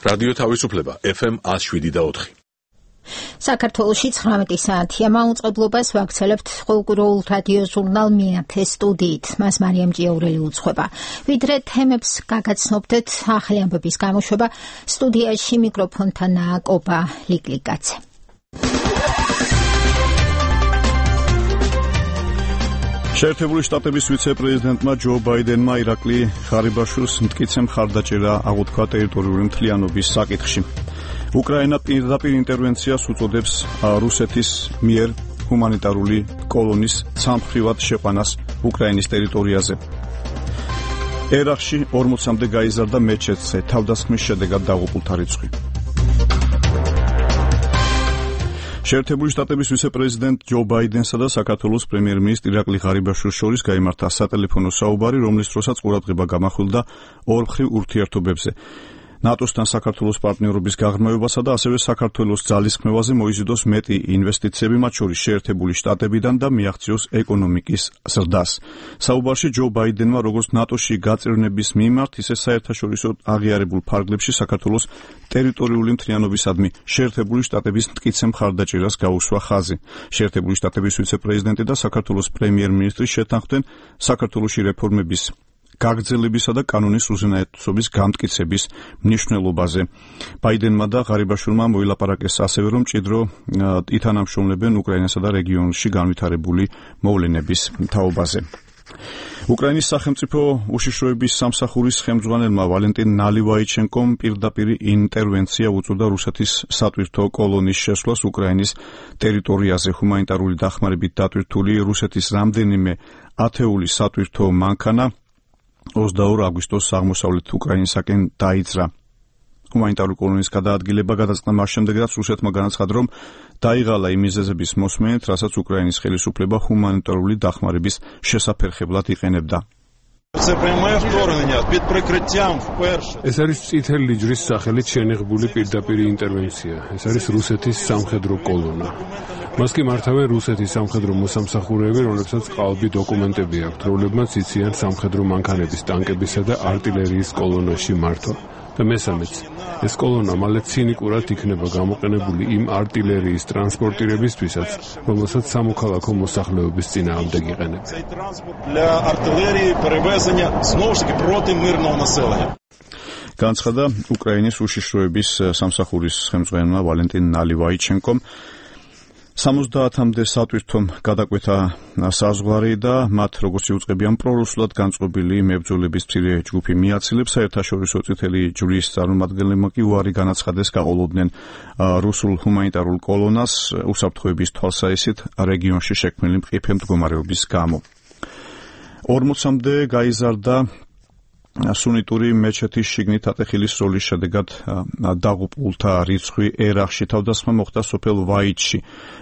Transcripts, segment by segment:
რადიო თავისუფლება FM 107.4. საქართველოში 19 საათია მაუწყებლობას ვაგრძელებთ ყოველდღიურ რადიო ჟურნალ მეათე სტუდიით. მას მარიამ ჭიაურელი უძღვება. ვიდრე თემებს გაგაცნობდეთ ახალი ამბების გამოშვება, სტუდიაში მიკროფონთანაა კობა ლიკლიკაცე. შეერთებული შტატების ვიცე-პრეზიდენტმა ჯო ბაიდენმა ირაკლი ღარიბაშვილს მტკიცე მხარდაჭერა აღუთქვა ტერიტორიული მთლიანობის საკითხში. უკრაინა პირდაპირ ინტერვენციას უწოდებს რუსეთის მიერ ჰუმანიტარული კოლონის სამხრივად შეყვანას უკრაინის ტერიტორიაზე. ერაყში 40-მდე გაიზარდა მეჩეთზე თავდასხმის შედეგად დაღუპულთა რიცხვი. შეერთებული შტატების ვიცე-პრეზიდენტ ჯო ბაიდენსა და საქართველოს პრემიერ-მინისტრ ირაკლი ღარიბაშვილს შორის გაიმართა სატელეფონო საუბარი, რომლის დროსაც ყურადღება გამახვილდა ორმხრივ ურთიერთობებზე. ნატოსთან საქართველოს პარტნიორობის გაღრმავებასა და ასევე საქართველოს ძალისხმევაზე მოიზიდოს მეტი ინვესტიციები, მათ შორის შეერთებული შტატებიდან და მიაღწიოს ეკონომიკის ზრდას. საუბარში ჯო ბაიდენმა როგორც ნატოში გაწევრნების მიმართ, ისე საერთაშორისო აღიარებულ ფარგლებში საქართველოს ტერიტორიული მთლიანობისადმი შეერთებული შტატების მტკიცე მხარდაჭერას გაუსვა ხაზი. შეერთებული შტატების ვიცე-პრეზიდენტი და საქართველოს პრემიერ-მინისტრი შეთანხმდნენ საქართველოში რეფორმების გაგრძელებისა და კანონის უზენაესობის გამტკიცების მნიშვნელობაზე. ბაიდენმა და ღარიბაშვილმა მოილაპარაკეს ასევე, რომ მჭიდრო ითანამშრომლებენ უკრაინასა და რეგიონში განვითარებული მოვლენების თაობაზე. უკრაინის სახელმწიფო უშიშროების სამსახურის ხელმძღვანელმა ვალენტინ ნალივაიჩენკომ პირდაპირ ინტერვენცია უწოდა რუსეთის სატვირთო კოლონის შესვლას უკრაინის ტერიტორიაზე. ჰუმანიტარული დახმარებით დატვირთული რუსეთის რამდენიმე ათეული სატვირთო მანქანა 22 აგვისტოს აღმოსავლეთ უკრაინისაკენ დაიძრა. ჰუმანიტარული კოლონის გადაადგილება გადაწყდა მას შემდეგ, რაც რუსეთმა განაცხადა, რომ დაიღალა იმ მიზეზების მოსმენით, რასაც უკრაინის ხელისუფლება ჰუმანიტარული დახმარების შესაფერხებლად იყენებდა. ეს არის წითელი ჯვრის სახელით შენიღბული პირდაპირ ინტერვენცია. ეს არის რუსეთის სამხედრო კოლონა. მას კი მართავენ რუსეთის სამხედრო მოსამსახურეები, რომლებსაც ყალბი დოკუმენტები აქვთ, რომლებმაც იციან სამხედრო მანქანების, ტანკებისა და არტილერიის კოლონაში მართვა. და მესამეც, ეს კოლონა მალე ცინიკურად იქნება გამოყენებული იმ არტილერიის ტრანსპორტირებისთვისაც, რომელსაც სამოქალაქო მოსახლეობის წინააღმდეგ იყენებენ. განცხადა უკრაინის უშიშროების სამსახურის ხელმძღვანელმა ვალენტინ ნალივაიჩენკომ. 70-მდე სატვირთომ გადაკვეთა საზღვარი და მათ, როგორც იუწყებიან, პრორუსულად განწყობილი მებრძოლების მცირე ჯგუფი მიაცილებს. საერთაშორისო წითელი ჯვრის წარმომადგენლებმა კი უარი განაცხადეს გაყოლოდნენ რუსულ ჰუმანიტარულ კოლონას უსაფრთხოების თვალსაჩინით რეგიონში შექმნილი მყიფე მდგომარეობის გამო. 40-მდე გაიზარდა სუნიტური მეჩეთის შიგნით ატეხილის როლის შედეგად დაღუპულთა რიცხვი ერაყში. თავდასხმა მოხდა სოფელ ვაიჩში,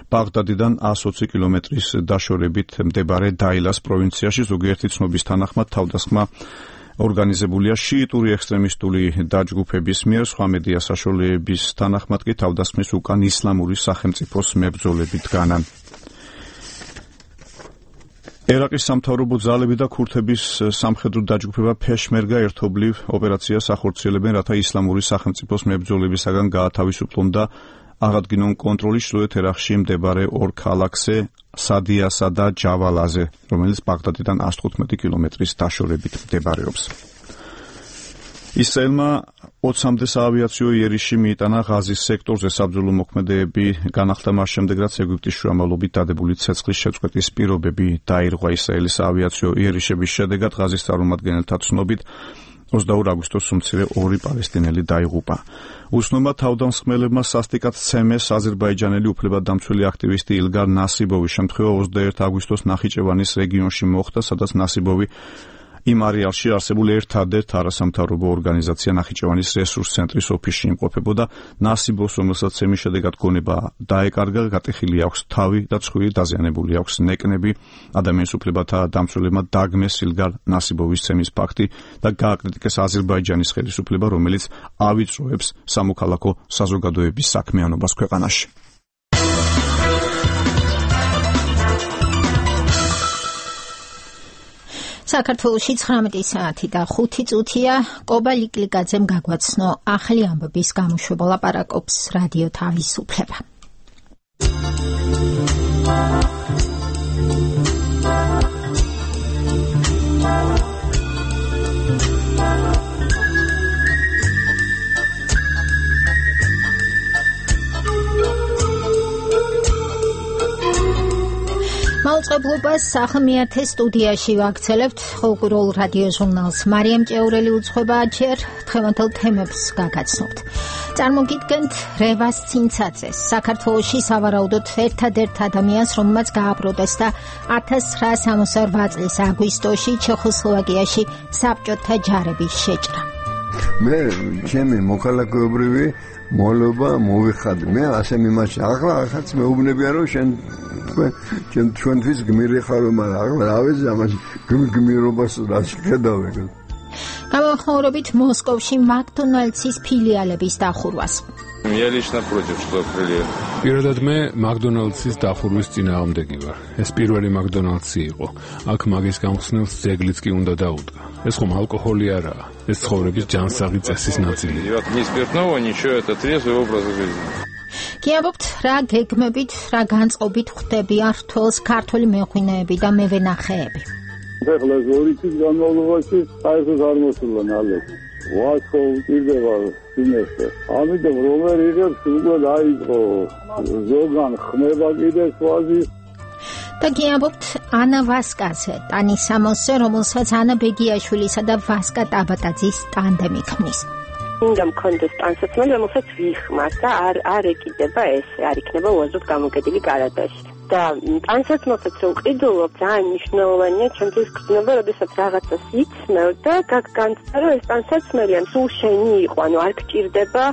ბაღდადიდან 120 კილომეტრის დაშორებით მდებარე დაილას პროვინციაში. ზოგიერთი ცნობის თანახმად თავდასხმა ორგანიზებულია შიიტური ექსტრემისტული დაჯგუფების მიერ, სხვა მედია საშუალებების თანახმად კი თავდასხმის უკან ისლამური სახელმწიფოს მებრძოლები დგანან. ერაყის სამთავრობო ძალები და ქურთების სამხედრო დაჯგუფება ფეშმერგა ერთობლივ ოპერაციას ახორციელებენ, რათა ისლამური სახელმწიფოს მებრძოლებისაგან გაათავისუფლონ და აღადგინონ კონტროლი ჩრდილოეთ ერაყში მდებარე ორ ქალაქზე, სადიასა და ჯავალაზე, რომელიც ბაღდადიდან 115 კილომეტრის დაშორებით მდებარეობს. ისრაელმა 20-მდე საავიაციო იერიში მიიტანა ღაზის სექტორზე. საბრძოლო მოქმედებები განახლდა მას შემდეგ, რაც ეგვიპტის შუამავლობით დადებული ცეცხლის შეწყვეტის პირობები დაირღვა. ისრაელის საავიაციო იერიშების შედეგად ღაზის წარმომადგენელთა ცნობით 22 აგვისტოს უმცირე 2 პალესტინელი დაიღუპა. უსნომა თავდამსხმელებმა სასტიკად სცემეს აზერბაიჯანელი უფლებადამცველი აქტივისტი ილგარ ნასიბოვის შემთხვევა 21 აგვისტოს ნახიჩევანის რეგიონში მოხდა, სადაც ნასიბოვი იმ არეალში არსებულ ერთადერთ არასამთავრობო ორგანიზაცია ნახიჩევანის რესურს ცენტრის ოფისში იმყოფებოდა. ნასიბოვს, რომელსაც ცემის შედეგად გონება დაეკარგა, გატეხილი აქვს თავი და ცხვირი, დაზიანებული აქვს ნეკნები. ადამიანის უფლებათა დამცველებმა დაგმეს ილგარ ნასიბოვის ცემის ფაქტი და გააკრიტიკეს აზერბაიჯანის ხელისუფლება, რომელიც ავიწროებს სამოქალაქო საზოგადოების საქმიანობას ქვეყანაში. საქართველოში 19 საათი და 5 წუთია. კობა ლიკლიკაძემ გაგვაცნო ახალი ამბების გამოშვება, ლაპარაკობს რადიო თავისუფლება. მაუწყებლობას ახმიათე სტუდიაში ვაქცელებთ ხალხურ რადიო ჟურნალს. მარიამ ჭეურელი უძღვება, ჯერ დღევანდელ თემებს გაგაცნობთ. წარმოგიდგენთ რევას ცინცაძეს, საქართველოში სავარაუდოდ ერთადერთ ადამიანს, რომელმაც გააპროტესტა 1968 წლის აგვისტოში ჩეხოსლოვაკიაში საბჭოთა ჯარების შეჭრა. მე ჩემი მოქალაქეობრივი მოლობა მოვიხადი. მე ასე მიმაჩნია. ახლა ახაც მეუბნებია რომ ჩვენთვის გმირი ხარო, მაგრამ ახლა რა ვიცი ამას გმირობას რა შეხედავ. გამახმაურებით მოსკოვში მაკდონალდსის ფილიალების დახურვას. Я лично против, что открыли. Პირადად მე მაკდონალდსის დახურვის წინააღმდეგი ვარ. ეს პირველი მაკდონალდსი იყო. აქ მაგის გამხსნელს ძეგლიც კი უნდა დაუდგა. ეს ხომ ალკოჰოლი არაა. ეს ცხოვრების ჯანსაღი წესის ნაწილია. Ни спиртного, ничего, это трезвый образ жизни. გიამბობთ, რა გეგმებით, რა განწყობით ხვდები ართულს ქართული მეღვინეები და მევენახეები. ეხლა ორი წლის განმავლობაში საერთოდ არ მოსულა ნალექი. ვაცხო უჭირდება სინესტე. ამიტომ რომელ იღებს უკვე დაიწყო ზოგან ხმება კიდე სვაზი. და გიამბობთ ანა ვასკაზე, ტანის სამოსზე, რომელსაც ანა ბეგიაშვილისა და ვასკა ტაბატაძის ტანდემი ქმნის. უნდა მქონდეს ტანსაცმელი, რომელსაც ვიხმართ და არ ეკიდება ესე, არ იქნება უაზროდ გამოკიდილი გარადაში. და ტანსაცმელსაც რო ვყიდულობ, ძალიან მნიშვნელოვანია ჩემთვის გრძნობა, როდესაც რაღაცას იცმევ და განცდა რომ ეს ტანსაცმელი ან სულ შენი იყო, ანუ არ გჭირდება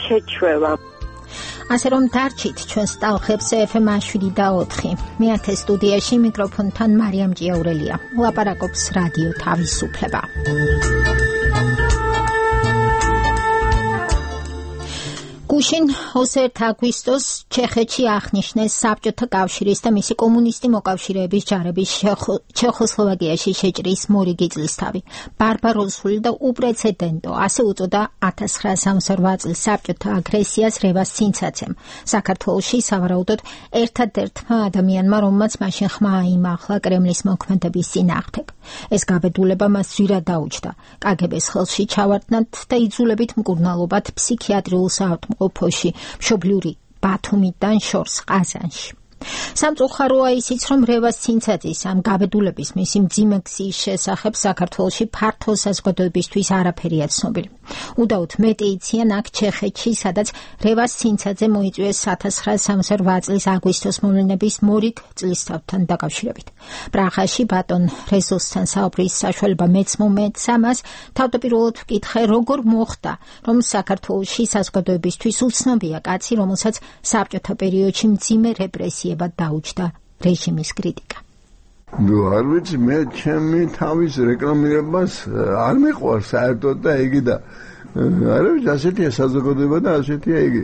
შეჩვევა. ასე რომ დარჩით ჩვენს ტალღებს FM 7/4. მეათე სტუდიაში მიკროფონთან მარიამ ჭიაურელია. ლაპარაკობს რადიო თავისუფლება. გუშინ 21 აგვისტოს ჩეხეთში აღნიშნეს საბჭოთა კავშირის და მისი კომუნისტი მოკავშირეების ჯარების ჩეხოსლოვაკიაში შეჭრის მორიგი წლისთავი. ბარბაროსული და უპრეცედენტო, ასე უწოდა 1968 წლის საბჭოთა აგრესიას რევას ცინცაძემ. საქართველოში სავარაუდოდ ერთადერთმა ადამიანმა, რომელმაც მაშინ ხმა აიმახლა კრემლის მოქმედების წინააღმდეგ. ეს გაბედულება მას ძვირად დაუჯდა. კგბ-ს ხელში ჩავარდნად და იძულებით მკურნალობად ფსიქიატრიულ საავადმყოფოში, მშობლიური ბათუმიდან შორს ყაზანში. სამწუხაროა ისიც, რომ რევას ცინცაძის ამ გაბედულების მისი მძიმე გზის შესახებ საქართველოში ფართო საზოგადოებისთვის არაფერია ცნობილი. უდაოდ მეტი იციან აქ ჩეხეთში, სადაც რევას ცინცაძე მოიწვიეს 1968 წლის აგვისტოს მოვლენების მორიგ წლისთავთან დაკავშირებით. პრაღაში ბატონ რეზოსთან საუბრის საშუალება მეც მომეც ამას თავდაპირველად ვკითხე, როგორ მოხდა, რომ საქართველოში საზოგადოებისთვის უცნობია კაცი, რომელსაც საბჭოთა პერიოდში მძიმე რეპრესიებად დაუჯდა რეჟიმის კრიტიკა. არ ვიცი, მე ჩემი თავის რეკლამირებას არ მიყვარს საერთოდ და იგი და არა ვიცი, ასეთია საზოგადოება და ასეთია იგი.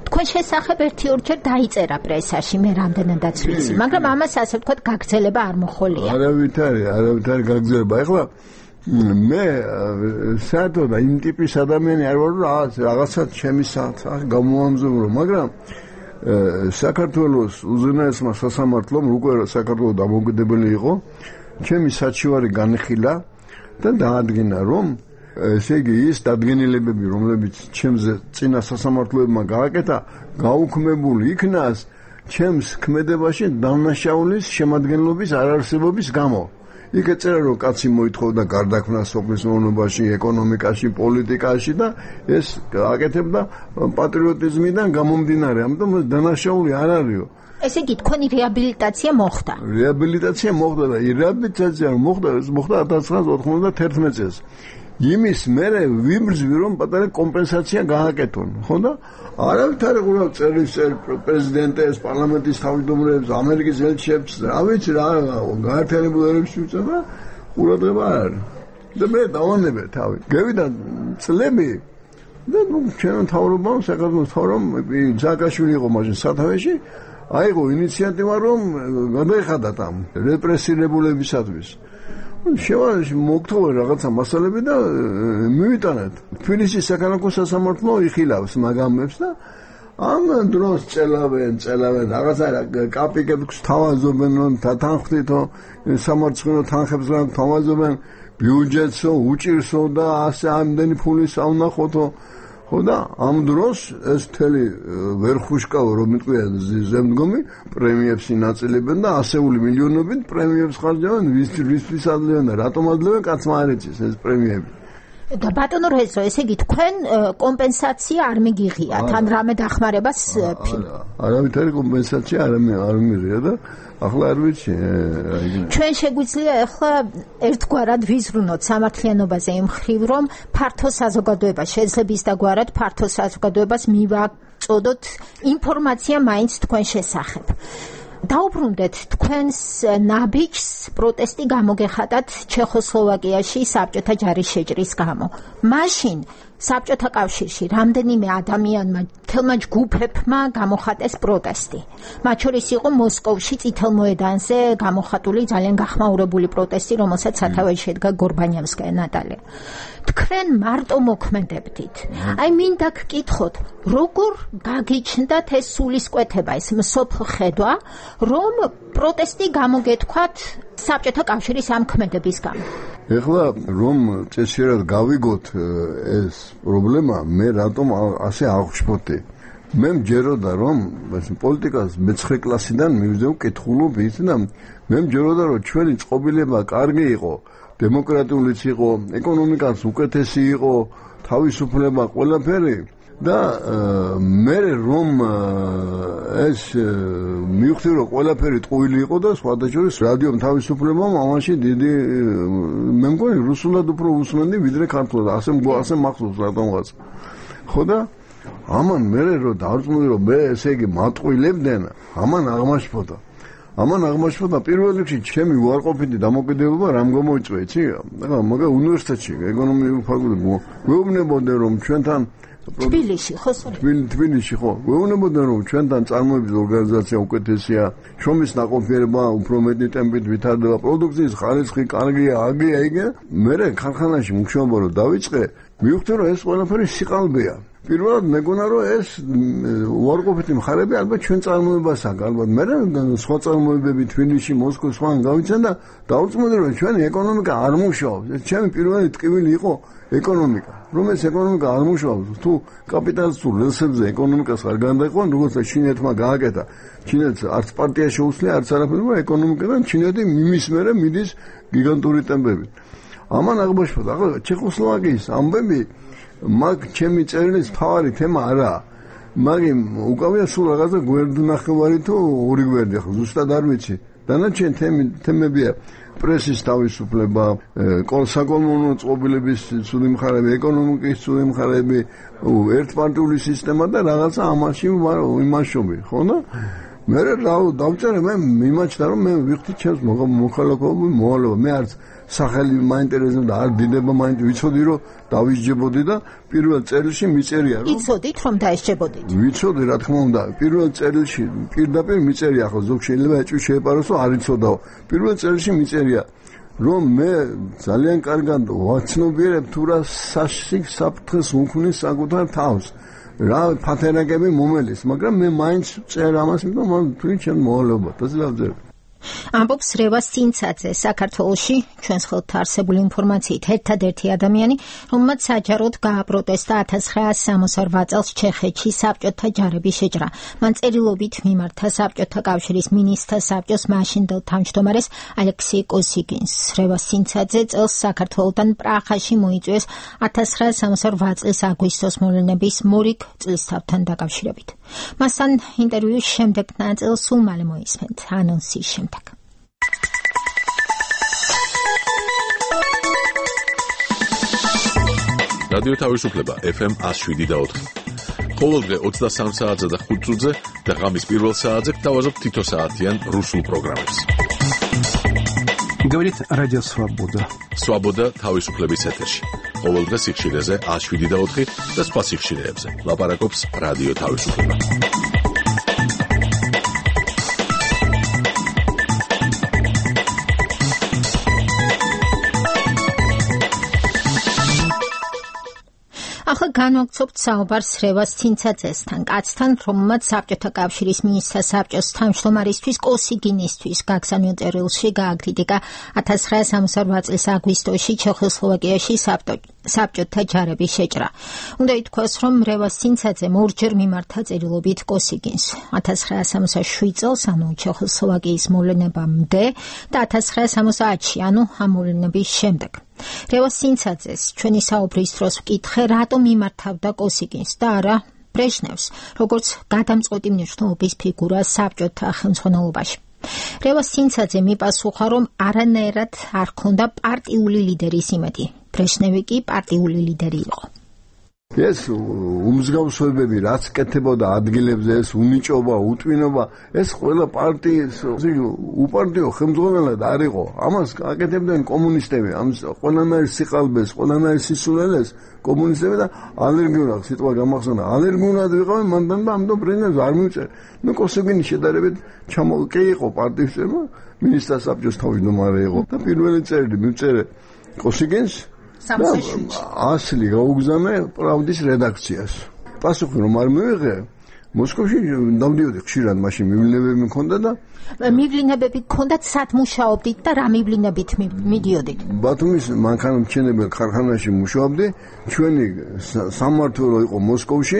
თქვენ შესახებ ერთი-ორჯერ დაიწერა პრესაში, მე რამდენადაც ვიცი, მაგრამ ამას ასე ვთქვათ გაგრძელება არ მოხოლია. არავითარი გაგრძელება. ეხლა მე საერთოდ იმ ტიპის ადამიანი არ ვარ, რაღაცა ჩემი გამოვამზადო, მაგრამ საქართველოს უზენაესმა სასამართლომ უკვე საქართველოს დამოუკიდებელი იყო, ჩემი საჩივარი განხილა და დაადგინა, რომ ესე იგი ის დადგენილებები, რომლებიც ჩემზე წინა სასამართლოებმა გააკეთა, გაუქმებული იქნას ჩემს ქმედებაში დანაშაულის შემადგენლობის არარსებობის გამო. იქ ეწერა, რომ კაცი მოითხოვდა გარდაქმნას სოფლის მეურნეობაში, ეკონომიკაში, პოლიტიკაში და ეს აკეთებდა პატრიოტიზმიდან გამომდინარე, ამიტომ დანაშაული არ არისო. ესე იგი, თქვენი რეაბილიტაცია მოხდა. რეაბილიტაცია მოხდა და რეაბილიტაცია მოხდა 1991 წელს. იმის მერე ვიბრძვი, რომ პატარა კომპენსაცია გააკეთონ, ხო და არავითარი ყურავ წერილს პრეზიდენტებს, პარლამენტის თავმჯდომარეებს, ამერიკის ელჩებს, რა ვიცი რა, გაერთიანებულ ერებში უწევდა, ყურადღება არ არის. და მე დავანებე თავი. გევიდა წლები და ჩვენ თავრობამ, საქართველოს თავრობამ სააკაშვილი იყო მაშინ სათავეში, აიღო ინიციატივა, რომ გადაეხადათ ამ რეპრესირებულებისათვის. შევაში მოგთხოვე რაღაცა მასალები და მივიტანეთ. თბილისის საქალაქო სასამართლო იხილავს მაგამებს და ამ დროს წელავენ რაღაცა კაპიკებს თავაზობენ თანხმდითო სამარცხინო თანხებს რა თავაზობენ ბიუჯეტსო უჭირსო და ასე ამდენი ფულის ავნახოთო ხო და ამ დროს ეს მთელი ვერ ხუშკავ რომ მიტყვია ზემდგომი პრემიებს ინაწილებენ და ასეული მილიონობით პრემიებს ხარჯავენ ვისთვის ადლევენ და რატომ ადლევენ კაცმა არ იცის ეს პრემიები და ბატონო რეზო, ესე იგი თქვენ კომპენსაცია არ მიგიღიათ, ან რამე დახმარებას არავითარი კომპენსაცია არ მიღია და ახლა არ ვიცი. ჩვენ შეგვიძლია ახლა ერთგვარად ვიზრუნოთ სამართლიანობაზე იმ მხრივ, რომ ფართო საზოგადოება შეძლებს და გვარად ფართო საზოგადოებას მივაწოდოთ ინფორმაცია მაინც თქვენ შესახებ. დაუბრუნდეთ თქვენს ნაბიჯს პროტესტი გამოგეხატათ ჩეხოსლოვაკიაში საბჭოთა ჯარის შეჭრის გამო. მაშინ საბჭოთა კავშირში რამდენიმე ადამიანმა, თელმა ჯგუფებმა გამოხატეს პროტესტი. მათ შორის იყო მოსკოვში წითელ მოედანზე გამოხატული ძალიან გახმაურებული პროტესტი, რომელსაც სათავეში შედგა გორბანიევსკაია ნატალია. თქვენ მარტო მოქმედებდით. აი მინდა გკითხოთ, როგორ გაგიჩნდათ ეს სულისკვეთება, ეს მსოფლ ხედვა, რომ პროტესტი გამოგეთქვათ საბჭოთა კავშირის ამ ქმედების გამო. ეხლა რომ წესიერად გავიგოთ ეს პრობლემა, მე რატომ ასე აღშფოთე? მე მჯეროდა რომ პოლიტიკას მე-9 კლასიდან მივიძე ვკითხულობ ის და მე მჯეროდა რომ ჩვენი წყობილება კარგი იყო, დემოკრატიულიც იყო, ეკონომიკაც უკეთესი იყო, თავისუფლება ყველაფერი და მე რომ ეს მივხვდი რომ ყველაფერი ტყუილი იყო და სხვადასხვა რადიომ თავისუფლებამ ამაში დიდი მე მგონი რუსულად უფრო უსმენდი ვიდრე ქართულად ასე მახსოვს რატომღაც ხო და ამან მე რომ დავწმუნდი რომ მე ესე იგი მატყუილებდნენ ამან აღმაშფოთა პირველ რიგში ჩემი უარყოფითი დამოკიდებულება რამ გამოიწვია იცი ახლა მაგა უნივერსიტეტში ეკონომიკური ფაკულტეტი ვეუბნებოდნენ რომ ჩვენთან თბილისში ხო თბილისში ხო ვეუბნებოდნენ რომ ჩვენთან წარმოების ორგანიზაცია უკეთესია შრომის ნაყოფიერება უფრო მეტი ტემპით ვითარდება პროდუქციის ხარისხი კარგია აგია იგე მე ქარხანაში მუშაობა რომ დავიწყე მივხვდი რომ ეს ყველაფერი სიყალბეა პირველად მეგონა რომ ეს უარყოფითი მხარეები ალბათ ჩვენ წარმოებასაა ალბათ მე სხვა წარმოებები თბილისში მოსკოვში სხვან გავიცან და დავწმუნდი რომ ჩვენი ეკონომიკა არ მუშაობს ეს ჩემი პირველი ტკივილი იყო ეკონომიკა რომ ეს ეკონომიკა არ მუშაობს თუ კაპიტალისტურ რელსებზე ეკონომიკას არ გან다იყვან როგორც ჩინეთმა გააკეთა ჩინეთს არც პარტია შეუძლია არც არაფერი ეკონომიკიდან ჩინეთი მის მერე მიდის გიგანტური ტემპებით ამან აღმოჩნდა ახლა ჩეხოსლოვაკიის ამბები მაგ ჩემი წერილის თავარი თემა არაა მაგიმ უკავია სულ რაღაცა გვერდნახევარი თუ ორი გვერდი ახლა ზუსტად არ ვიცი დანარჩენ თემებია პრესის თავისუფლება, საკოლმეურნეო წყობილების ცუდი მხარეები, ეკონომიკის ცუდი მხარეები, ერთპარტიული სისტემა და რაღაცა ამაში იმაშობი, ხო და მე დავწერე მე მიმაჩნდა რომ მე ვიხდი ჩემს მოქალაქეობის მოვალეობა მე არც სახელი მაინტერესებდა არ დიდება ვიცოდი რომ დავისჯებოდი და პირველ წერილში მიწერია რომ იცოდით რომ დაისჯებოდით ვიცოდი რა თქმა უნდა პირველ წერილში პირდაპირ მიწერია ხო ზოგ შეიძლება ეჭვი შეეპაროს რომ არ იცოდაო პირველ წერილში მიწერია რომ მე ძალიან კარგად ვაცნობიერებ თუ რა საფრთხეს უქმნის საკუთარ თავს რა ფათერაკები მომელის მაგრამ მე მაინც წერ ამას იმიტომ მან თვით ჩემ მოვალეობა და დავწერე ამბობს რევას სინცაძე საქართველოში ჩვენს ხელთ არსებული ინფორმაციით ერთადერთი ადამიანი რომელმაც საჯაროდ გააპროტესტა 1968 წელს ჩეხეთში საბჭოთა ჯარების შეჭრა მან წერილობით მიმართა საბჭოთა კავშირის მინისტრთა საბჭოს მაშინდელ თავმჯდომარეს ალექსეი კოსიგინს რევას სინცაძე წელს საქართველოსთან პრაღაში მოიწვიეს 1968 წლის აგვისტოს მოვლენების მორიგ წლისთავთან დაკავშირებით მასთან ინტერვიუს შემდეგ ნაწილს სულ მალე მოისმენთ ანონსის შემდეგ რადიო თავისუფლება FM 107.4. ყოველდღე 23 საათზე და 5 წუთზე და ღამის პირველ საათზე გთავაზობთ თითო საათიან რუსულ პროგრამებს. Говорит Радио Свобода. Свобода თავისუფლების ეთერში. ყოველდღე სიხშირეზე 107.4 და სხვა სიხშირეებზე. ლაპარაკობს რადიო თავისუფლება. განვაგრძობთ საუბარს რევას ცინცაძესთან, კაცთან, რომელმაც საბჭოთა კავშირის მინისტრთა საბჭოს თავმჯდომარისთვის კოსიგინისთვის გაგზავნილ წერილში გააკრიტიკა 1968 წლის აგვისტოში ჩეხოსლოვაკიაში საბჭოთა ჯარების შეჭრა. უნდა ითქვას, რომ რევას ცინცაძემ ორჯერ მიმართა წერილობით კოსიგინს 1967 წელს, ანუ ჩეხოსლოვაკიის მოვლენებამდე და 1970-ში, ანუ ამ მოვლენების შემდეგ. რევას ცინცაძეს ჩვენი საუბრის დროს ვკითხე, რატომ მიმართავდა კოსიგინს და არა ბრეჟნევს, როგორც გადამწყვეტი მნიშვნელობის ფიგურას საბჭოთა ხელმძღვანელობაში. რევას ცინცაძე მიპასუხა, რომ არანაირად არ ქონდა პარტიული ლიდერის იმედი. ბრეჟნევი კი პარტიული ლიდერი იყო. ეს უმსგავსებები რაც კეთებოდა ადგილებზე, ეს უნიჭობა, უტვინობა, ეს ყველა პარტიის უპარტიო ხელმძღვანელად არ იყო. ამას აკეთებდნენ კომუნისტები, ამ ყველანაირ სიყალბეს, ყველანაირ სისულელეს კომუნისტები და ალერგიულად სიტყვა გამახსოვნა. ალერგიულად ვიყავენ მანდან და ამიტომ ბრეჟნევს არ მივწერე. კოსიგინის შედარებით ჩამოყე იყო პარტიის წევრი, მინისტრთა საბჭოს თავმჯდომარე იყო და პირველი წერილი მივწერე კოსიგინს. ასლი გაუგზავნე პრავდის რედაქციას. პასუხი რომ არ მივიღე, მოსკოვში დავდიოდი ხშირად, მაშინ მივლინებები მქონდა და მივლინებები გქონდათ, სად მუშაობდით და რა მივლინებით მიდიოდით? ბათუმის მანქანათმშენებელ ქარხანაში მუშაობდი, ჩვენი სამმართველო იყო მოსკოვში,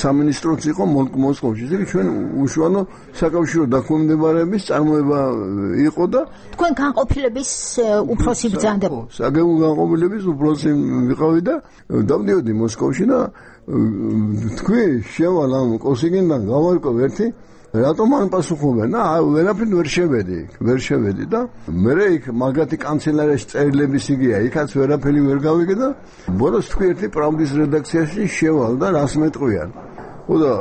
სამინისტროც იყო მოსკოვში. ისე ჩვენ უშუალო საკავშირო დაქვემდებარების წარმოება იყო და თქვენ განყოფილების უფროსი ბრძანდება. საგებო განყოფილების უფროსი ვიყავი და დავდიოდი მოსკოვში და თქვი შევალ ამ კოსიგინთან გავარკვევ ერთი რატომ არ პასუხობენ და ვერაფრით ვერ შევედი და მე იქ მაგათი კანცელარიაში წერილების იგია, იქაც ვერაფერი ვერ გავიგე და ბოლოს თქვი ერთი პრავდის რედაქციაში შევალ და რას მეტყვიან. და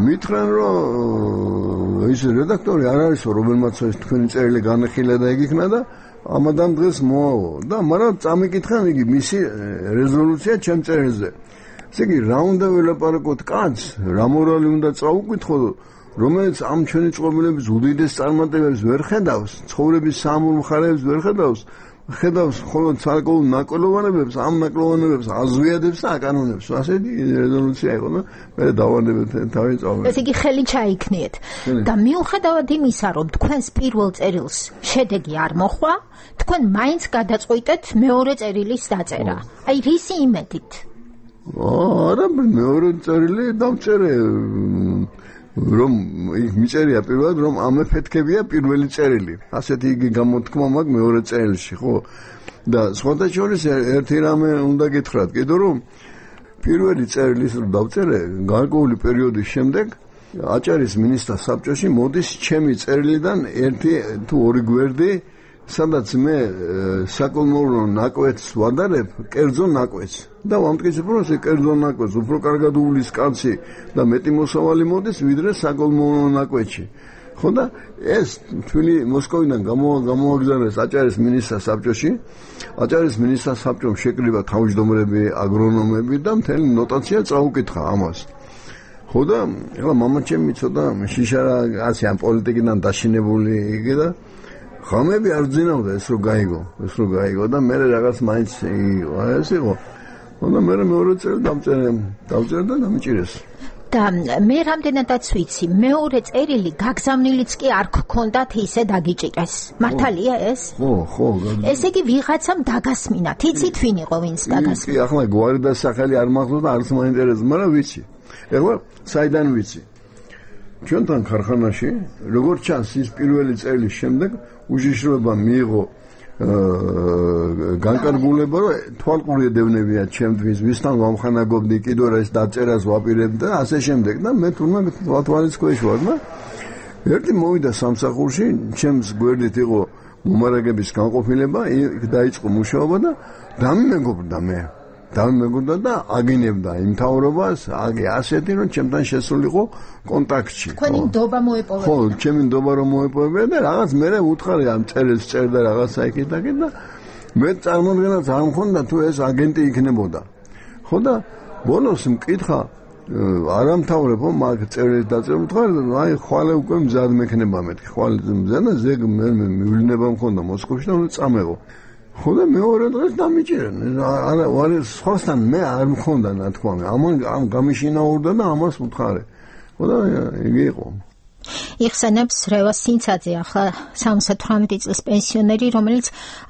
მითხრენ რომ ის რედაქტორი არ არისო, რომელმაც ეს თქვენი წერილი განეხილა და ეგ იქნა და ამადამ დღეს მოავა და მაგრამ წამიკითხან იგი მისი რეზოლუცია ჩემ წერილზე. ესე იგი რა უნდა ველაპარაკოთ კაცს, რა მორალი უნდა წაუკითხო, რომელიც ამ ჩვენი წყობილების უდიდეს წარმატებებს ვერ ხედავს, ცხოვრების საამურ მხარეებს ვერ ხედავს მხოლოდ ცალკეულ ნაკლოვანებებს, ამ ნაკლოვანებებს აზვიადებს და აკანონებს. ასეთი რეზოლუცია იყო და მე დავანებეთ თავი წავედი. ესე იგი ხელი ჩაიქნიეთ და მიუხედავად იმისა, რომ თქვენს პირველ წერილს შედეგი არ მოხდა, თქვენ მაინც გადაწყვიტეთ მეორე წერილის დაწერა. აი რისი იმედით? არა, მეორე წერილი დავწერე, რომ იქ მიწერია პირველად, რომ ამ ეფექტებია პირველი წერილი. ასეთი იგი გამოთქმა მაქვს მეორე წერილში, ხო? და სხვათა შორის ერთი რამე უნდა გითხრათ, კიდევ რომ პირველი წერილის რომ დავწერე, გარკვეული პერიოდის შემდეგ აჭარის მინისტრთა საბჭოში მოდის ჩემი წერილიდან ერთი თუ ორი გვერდი, სადაც მე საკოლმოვრო ნაკვეთს ვადარებ, კერძო ნაკვეთს. და ვამტკიცებ, რომ ეს კერძო ნაკვეთს უფრო კარგად უვლის კაცი და მეტი მოსავალი მოდის, ვიდრე საკოლმოვრო ნაკვეთში. ხო და ეს თვილი მოსკოვიდან გამოაგზავნეს აჭარის მინისტრთა საბჭოში. აჭარის მინისტრთა საბჭომ შეკრიბა თავმჯდომრები, აგრონომები და მთელი ნოტაცია წაუკითხა ამას. ხო და ეხლა მამაჩემი ცოტა შიშარა ასე ამ პოლიტიკიდან დაშინებული იგი და ხამები არ ძინავდა ეს რო გაიგო და მე რაღაც მაინც ეს იყო. და მე მეორე წერილ დავწერე და დამჭირეს. და მე რამდენადაც ვიცი, მეორე წერილი გაგზავნილიც კი არ გქონდათ, ისე დაგიჭიკეს. მართალია ეს? ხო. ესე იგი ვიღაცამ დაგასმინათ. იცით ვინ იყო ვინც დაგასმინა? კი, ახლა გვარი და სახელი არ მახსოვს და არც მაინტერესებს, მაგრამ ვიცი. ეხლა საიდან ვიცი? ჩვენთან ქარხანაში, როგორც ჩანს, ის პირველი წერილის შემდეგ უშიშროება მიიღო განკარგულება, რომ თვალყური ედევნებია ჩემთვის, ვისთან ვამხანაგობდი, კიდევ რა ის დაწერას ვაპირებდი და ასე შემდეგ და მე თურმე თვალის ქვეშ ვარ და ერთი მოვიდა სამსახურში, ჩემს გვერდით იყო მომარაგების განყოფილება, იქ დაიწყო მუშაობა და დამიმეგობრდა და აგინებდა იმ მთავრობას, ასეთი რომ ჩემთან შესულიყო კონტაქტში. თქვენი ნდობა მოეპოვებდა. ხო, ჩემი ნდობა რომ მოეპოვებდა და რაღაც მე უთხარი ამ წერილს წერდა რაღაცა იქით და მე წარმოდგენაც არ მქონდა თუ ეს აგენტი იქნებოდა. ხო და ბოლოს მკითხა არამთავრებო მაგ წერილს დაწერა, მითხარ აი ხვალე უკვე მზად მექნება მეთქი, ხვალე მზად და ზეგ მე მივლინება მქონდა მოსკოვში და უნდა წამეღო. ხო და მეორე დღეს დამიჭირენ. არა სხვასთან მე არ მქონდა ნათქვამი. ამ გამიშინაურდა და ამას უთხარე. ხო და იგი იყო. იხსენებს რევას სინცაძე, ახლა 78 წლის პენსიონერი, რომელიც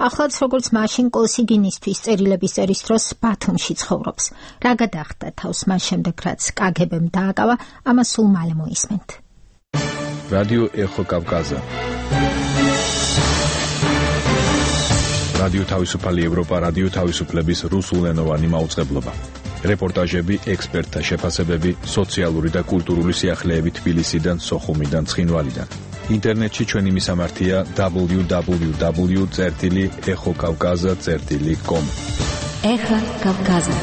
ახლაც როგორც მაშინ კოსიგინისთვის წერილების წერის დროს ბათუმში ცხოვრობს. რა გადახდა თავს მას შემდეგ, რაც კგბ-მ დააკავა, ამას სულ მალე მოისმენთ. რადიო ეხო კავკაზა. რადიო თავისუფალი ევროპა, რადიო თავისუფლების რუსულენოვანი მაუწყებლობა. რეპორტაჟები, ექსპერტთა შეფასებები, სოციალური და კულტურული სიახლეები თბილისიდან, სოხუმიდან, ცხინვალიდან. ინტერნეტში ჩვენი მისამართია www.exokavkaza.com. ეხა კავკაზა.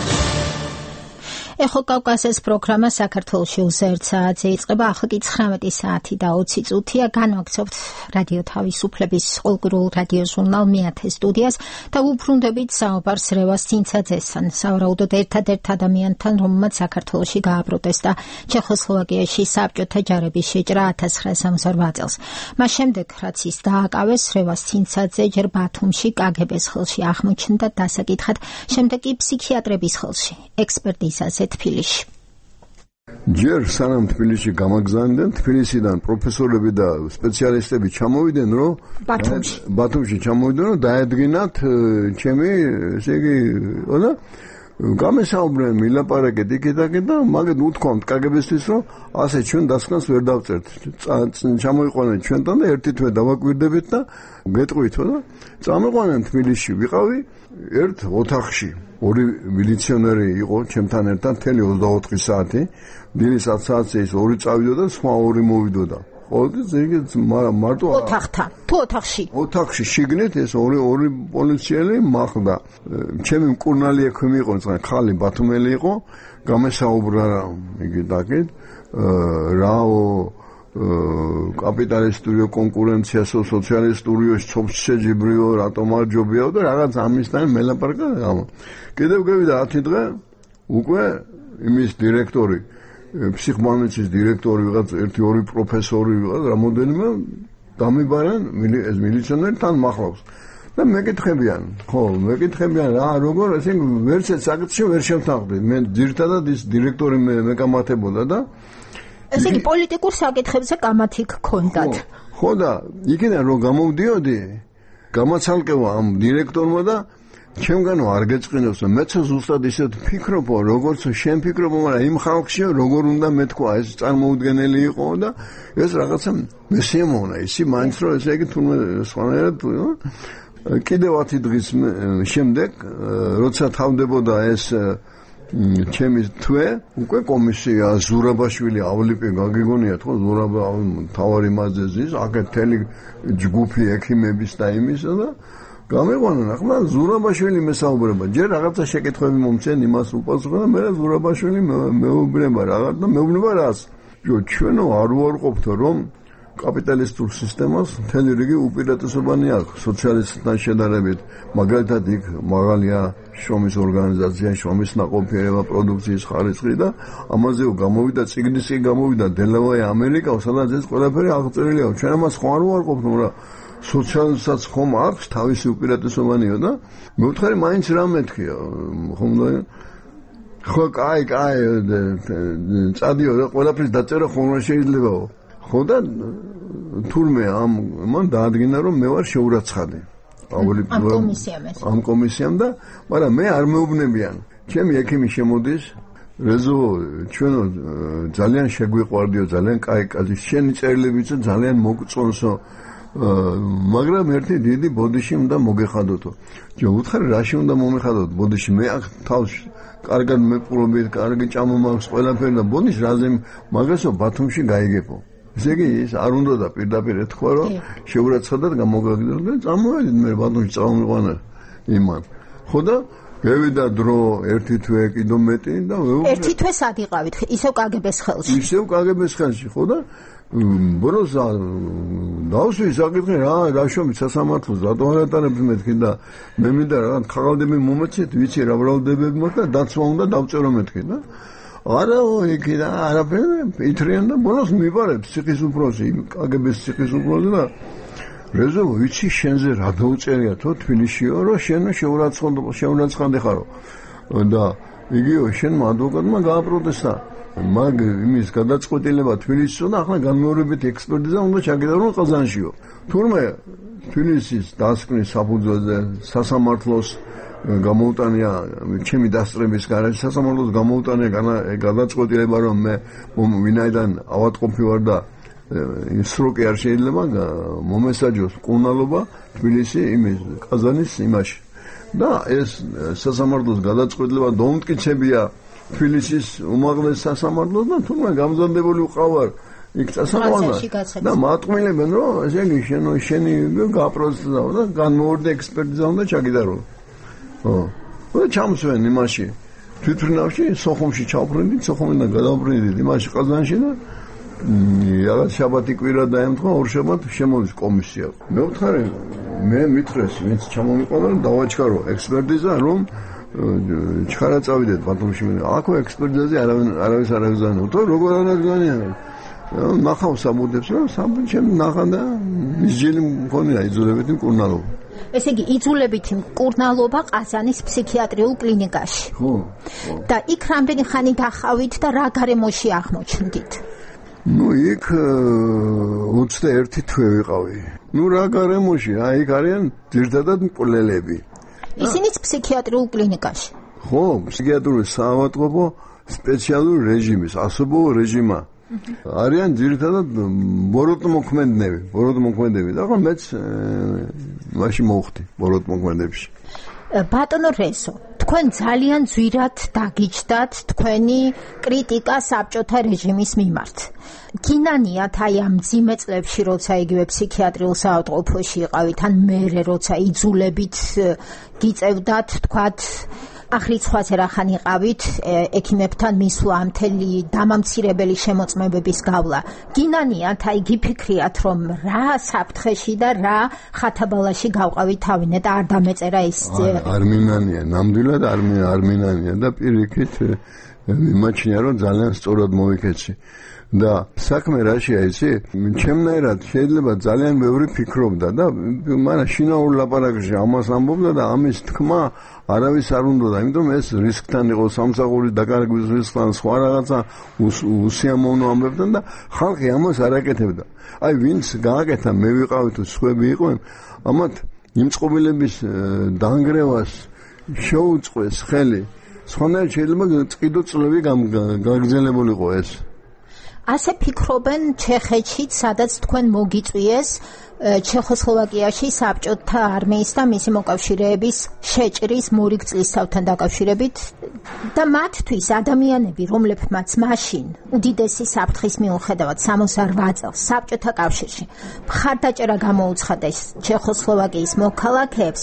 ეხო კავკაზის პროგრამა საქართველოში უზერთ საათზე იწყება, ახლა კი 19 საათი და 20 წუთია. განვაგრძობთ რადიო თავისუფლების ყოველკვირეულ რადიო ჟურნალ მეათე სტუდიას და უბრუნდებით საუბარს რევას სინცაძესთან, სავარაუდოდ ერთადერთ ადამიანთან, რომელმაც საქართველოში გააპროტესტა ჩეხოსლოვაკიაში საბჭოთა ჯარების შეჭრა 1968 წელს. მას შემდეგ, რაც ის დააკავეს, რევას სინცაძე ჯერ ბათუმში კგბ-ს ხელში აღმოჩნდა დასაკითხად, შემდეგ კი ფსიქიატრების ხელში, ექსპერტიზაზე თბილისში. ჯერ სანამ თბილისში გამაგზავნდნენ, თბილისიდან პროფესორები და სპეციალისტები ჩამოვიდნენ, რომ ბათუმში ჩამოვიდნენ, რომ დაედგინათ ჩემი, ესე იგი, და გამესაუბრნენ, მილაპარაკეთ იქით და მაგეთ უთქვამთ კგბ-ისთვის, რომ ასე ჩვენ დასკვნას ვერ დავწერთ. ჩამოიყვანეთ ჩვენთან და ერთი თვე დავაკვირდებით და გეტყვით, და წამიყვანენ თბილისში. ვიყავი ერთ ოთახში. ორი მილიციონერი იყო ჩემთან ერთად მთელი 24 საათი. დილის 10 საათზე ის ორი წავიდოდა, სხვა ორი მოვიდოდა. ხო, მარტო ოთახთან, თუ ოთახში. ოთახში შიგნით ეს ორი პოლიციელი მახდა. ჩემი მკურნალი ექვემი იყო, ხალი ბათუმელი იყო, გამესაუბრა იგი დაგეთ, რაო კაპიტალისტურიო კონკურენცია სოციალისტურიო ჩობშეჯიბრიო რატომ არ ჯობიაო და რაღაც ამისთან მელაპარაკა. კიდევ გავიდა 10 დღე უკვე იმის დირექტორი, ფსიქმანიცის დირექტორი ვიღაც, ერთი-ორი პროფესორი ვიღაც, რამოდენიმე დამიბარენ ეს მილიციონერი თან მახლავს. და მეკითხებიან, რა როგორ ესე ვერცეთ საკითხში ვერ შევთანხმდით. მე ძირთადად ის დირექტორი მეკამათებოდა და ესე იგი პოლიტიკურ საკითხებზე კამათი გქონდათ. ხო და იქიდან რომ გამოვდიოდი, გამაცალკევა ამ დირექტორმა და ჩემგანო არ გეწყინოს, მეც ზუსტად ისეთ ფიქრობ, როგორც შენ ფიქრობ, მაგრამ იმ ხალხშია როგორ უნდა მეთქვა, ეს წარმოუდგენელი იყო და ეს რაღაცა მესიამოვნა, ისი მაინც რომ ესე იგი თუნდაც სხვანაირად კიდევ 10 დღის შემდეგ, როცა თავდებოდა ეს ჩემი თვე, უკვე კომისია ზურაბაშვილი ავლიპი გაგიგონიათ, ხო, ზურაბა თავარი მაზეზის, აქეთ თელი ჯგუფი ექიმების და იმისა და გამიყვანენ. ახლა ზურაბაშვილი მესაუბრება, ჯერ რაღაცა შეკითხვები მომცენ, იმას უპასუხა და მე ზურაბაშვილი მეუბნება რაღაც და მეუბნება რას. ჩვენო არ ვარყოფთ, რომ კაპიტალისტურ სისტემას მთელი რიგი უპირატესობანი აქვს სოციალისტთან შედარებით. მაგალითად იქ მაღალია შრომის ორგანიზაცია, შრომის ნაყოფიერება, პროდუქციის ხარისხი და ამაზე გამოვიდა წიგნისი, გამოვიდა დელავაი ამერიკა, სადაც ეს ყველაფერი აღწერილია. ჩვენ ამას ხო არ ვარყოფთ, მაგრამ სოციალისტსაც ხომ აქვს თავისი უპირატესობანიო და მეუთხარი მაინც რა მეთქია, ხომ და ხო კაი წადიო და ყველაფრის დაწერა ხომ რა შეიძლებაო. ხო და თურმე მან დაადგინა რომ მე ვარ შეურაცხადი ამ კომისიამ და მაგრამ მე არ მეუბნებიან. ჩემი ექიმი შემოდის, რეზო ჩვენო ძალიან შეგვიყვარდიო, ძალიან კაი შენი წერილებიც ძალიან მოგწონსო, მაგრამ ერთი დიდი ბოდიში უნდა მოგეხადოთო. უთხარი რაში უნდა მომეხადოთ ბოდიში, მე აქ თავს კარგად მეპყრობთ, კარგი ჭამა მაქვს ყველაფერი და ბოდიში რაზე მაგასო ბათუმში გაიგებო. ესე იგი ის არ უნდა და პირდაპირ ეთქვა რომ შეურაცხადად გამოგაგდო და წამოვედით მე ბათუმში წამოვიყვანა იმან. ხო და გევიდა დრო ერთი თვე კიდო მეტი და ერთი თვე სად იყავით? ისევ კგბ-ს ხელში. ისევ კგბ-ს ხელში, ხო და ბროს დავსვი საკითხი რა შრომით სასამართლოს რატო არ ატარებს მეთქი და მე მინდა რაღაც ხალხები მომეცეთ, ვიცი რა ბრალდებები მაქვს და დაცვა უნდა დავწერო მეთქი და არა იქი და არაფერი ითრიან და ბოლოს მიბარებს ციხის უფროსი, კგბ-ს ციხის უფროსი და რეზო ვიცი შენზე რა დაუწერია თო თბილისშიო რომ შენ შეურაცხმდი ხარო და იგივე შენმა ადვოკატმა გააპროტესტა მაგ იმის გადაწყვეტილება თბილისში და ახლა განმეორებით ექსპერტიზა უნდა ჩაგიდარო ყაზანშიო თურმე თბილისის დასკვნის საფუძველზე სასამართლოს გამოუტანია ჩემი დასწრების გარეთ სასამართლოს გამოუტანია გადაწყვეტილება რომ მე ვინაიდან ავადმყოფი ვარ და სროკი არ შეიძლება მომესაჯოს მკურნალობა თბილისი იმის ყაზანის იმაში და ეს სასამართლოს გადაწყვეტილება დაუმტკიცებია თბილისის უმაღლეს სასამართლოს და თუმცა გამზადებული ვყავარ იქ წასაყვანა და მატყმილებენ რომ ესე იგი შენი გააპროცესა და განმეორდა ექსპერტიზა უნდა ჩაგიდარო და ჩამსვენ იმაში თვითმფრინავში სოხუმში ჩავფრინდით სოხუმიდან გადავფრინდით იმაში ყაზანში და რაღაც შაბათი კვირა დაემთხვა ორშაბათ შემოდის კომისია მე ვთხარი მე მითხრეს ვინც ჩამომიყვანა რომ დავაჩქარო ექსპერტიზა რომ ჩხარა წავიდეთ ბათუმში აქ ექსპერტიზაზე არავის არ აგზავნო თუ როგორ არ აგზავნიან ნახავ საბუდებს რომ სამბჩემ ნახა და მისჯილი მქონია იძულებითი მკურნალობა ესე იგი იძულებითი მკურნალობა ყაზანის ფსიქიატრიულ კლინიკაში ხო და იქ რამდენი ხანი დახავით და რა გარემოში აღმოჩნდით ნუ იქ 21 თვე ვიყავი ნუ რა გარემოში იქ არიან ძირთადად მკვლელები ისინიც ფსიქიატრიულ კლინიკაში ხო ფსიქიატრიული საავადმყოფო სპეციალური რეჟიმის ასობო რეჟიმა არიან ძირითადად ბოროტმოქმედნები და ახლა მეც მაშინ მოვხდი ბოროტმოქმედებში ბატონო რესო თქვენ ძალიან ძვირად დაგიჯდათ თქვენი კრიტიკა საბჭოთა რეჟიმის მიმართ გინანიათ აი ამ მძიმე წლებში როცა იგივე ფსიქიატრიულ საავადმყოფოში იყავით ან მერე როცა იძულებით გიწევდათ თქვათ აღრიცხვაზე რახან იყავით ექიმებთან მისვლა მთელი დამამცირებელი შემოწმებების გავლა გინანიათ აი გიფიქრიათ რომ რა საფრთხეში და რა ხათაბალაში გავყავით თავინე და არ დამეწერა ის არ მინანია ნამდვილად არ მინანია და პირიქით მიმაჩნია რომ ძალიან სწორად მოვიქეცი და საქმე რაშია იცი ჩემნაირად შეიძლება ძალიან ბევრი ფიქრობდა და მაგრამ შინაურ ლაპარაკში ამას ამბობდა და ამის თქმა არავის არ უნდა, იმიტომ ეს რისკთან იყო სამსახურის დაკარგვის რისკთან სხვა რაღაცა უსიამოვნო ამბებთან და ხალხი ამას არ აკეთებდა. აი ვინც გააკეთა მე ვიყავი თუ სხვები იყვნენ, ამათ იმწყობილების დაანგრევას შეუწყეს ხელი. სხვანაირად შეიძლება წკიდო წლები გაგრძელებულიყო ეს. ასე ფიქრობენ ჩეხეთშიც, სადაც თქვენ მოგიწვიეს ჩეხოსლოვაკიაში საბჭოთა არმიის და მისი მოკავშირეების შეჭრის მორიგ წლისთავთან დაკავშირებით და მათთვის ადამიანები, რომლებმაც მაშინ უდიდესი საფრთხის მიუხედავად 68 წელს საბჭოთა კავშირში მხარდაჭერა გამოუცხადეს ჩეხოსლოვაკიის მოქალაქეებს,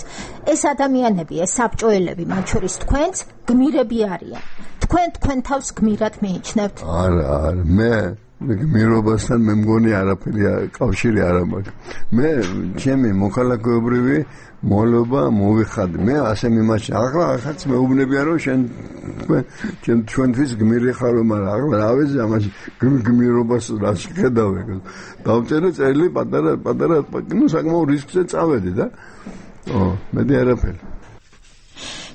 ეს ადამიანები, ეს საბჭოელები, მათ შორის თქვენც გმირები არიან. თქვენ თავს გმირად მიიჩნევთ? არა, მე გმირობასთან მე მგონი არაფერი კავშირი არ მაქვს. მე ჩემი მოქალაქეობრივი მოლობა მოვიხადე. მე ასე მიმაჩნია. ახლა ახაც მეუბნებია რომ შენ ჩვენთვის გმირი ხარ, მაგრამ ახლა რა ვიცი ამაში გმირობას რა შეხედავე. დავწერე წერილი პატარა ნუ საკმაოდ რისკზე წავედი და მედი არაფერი.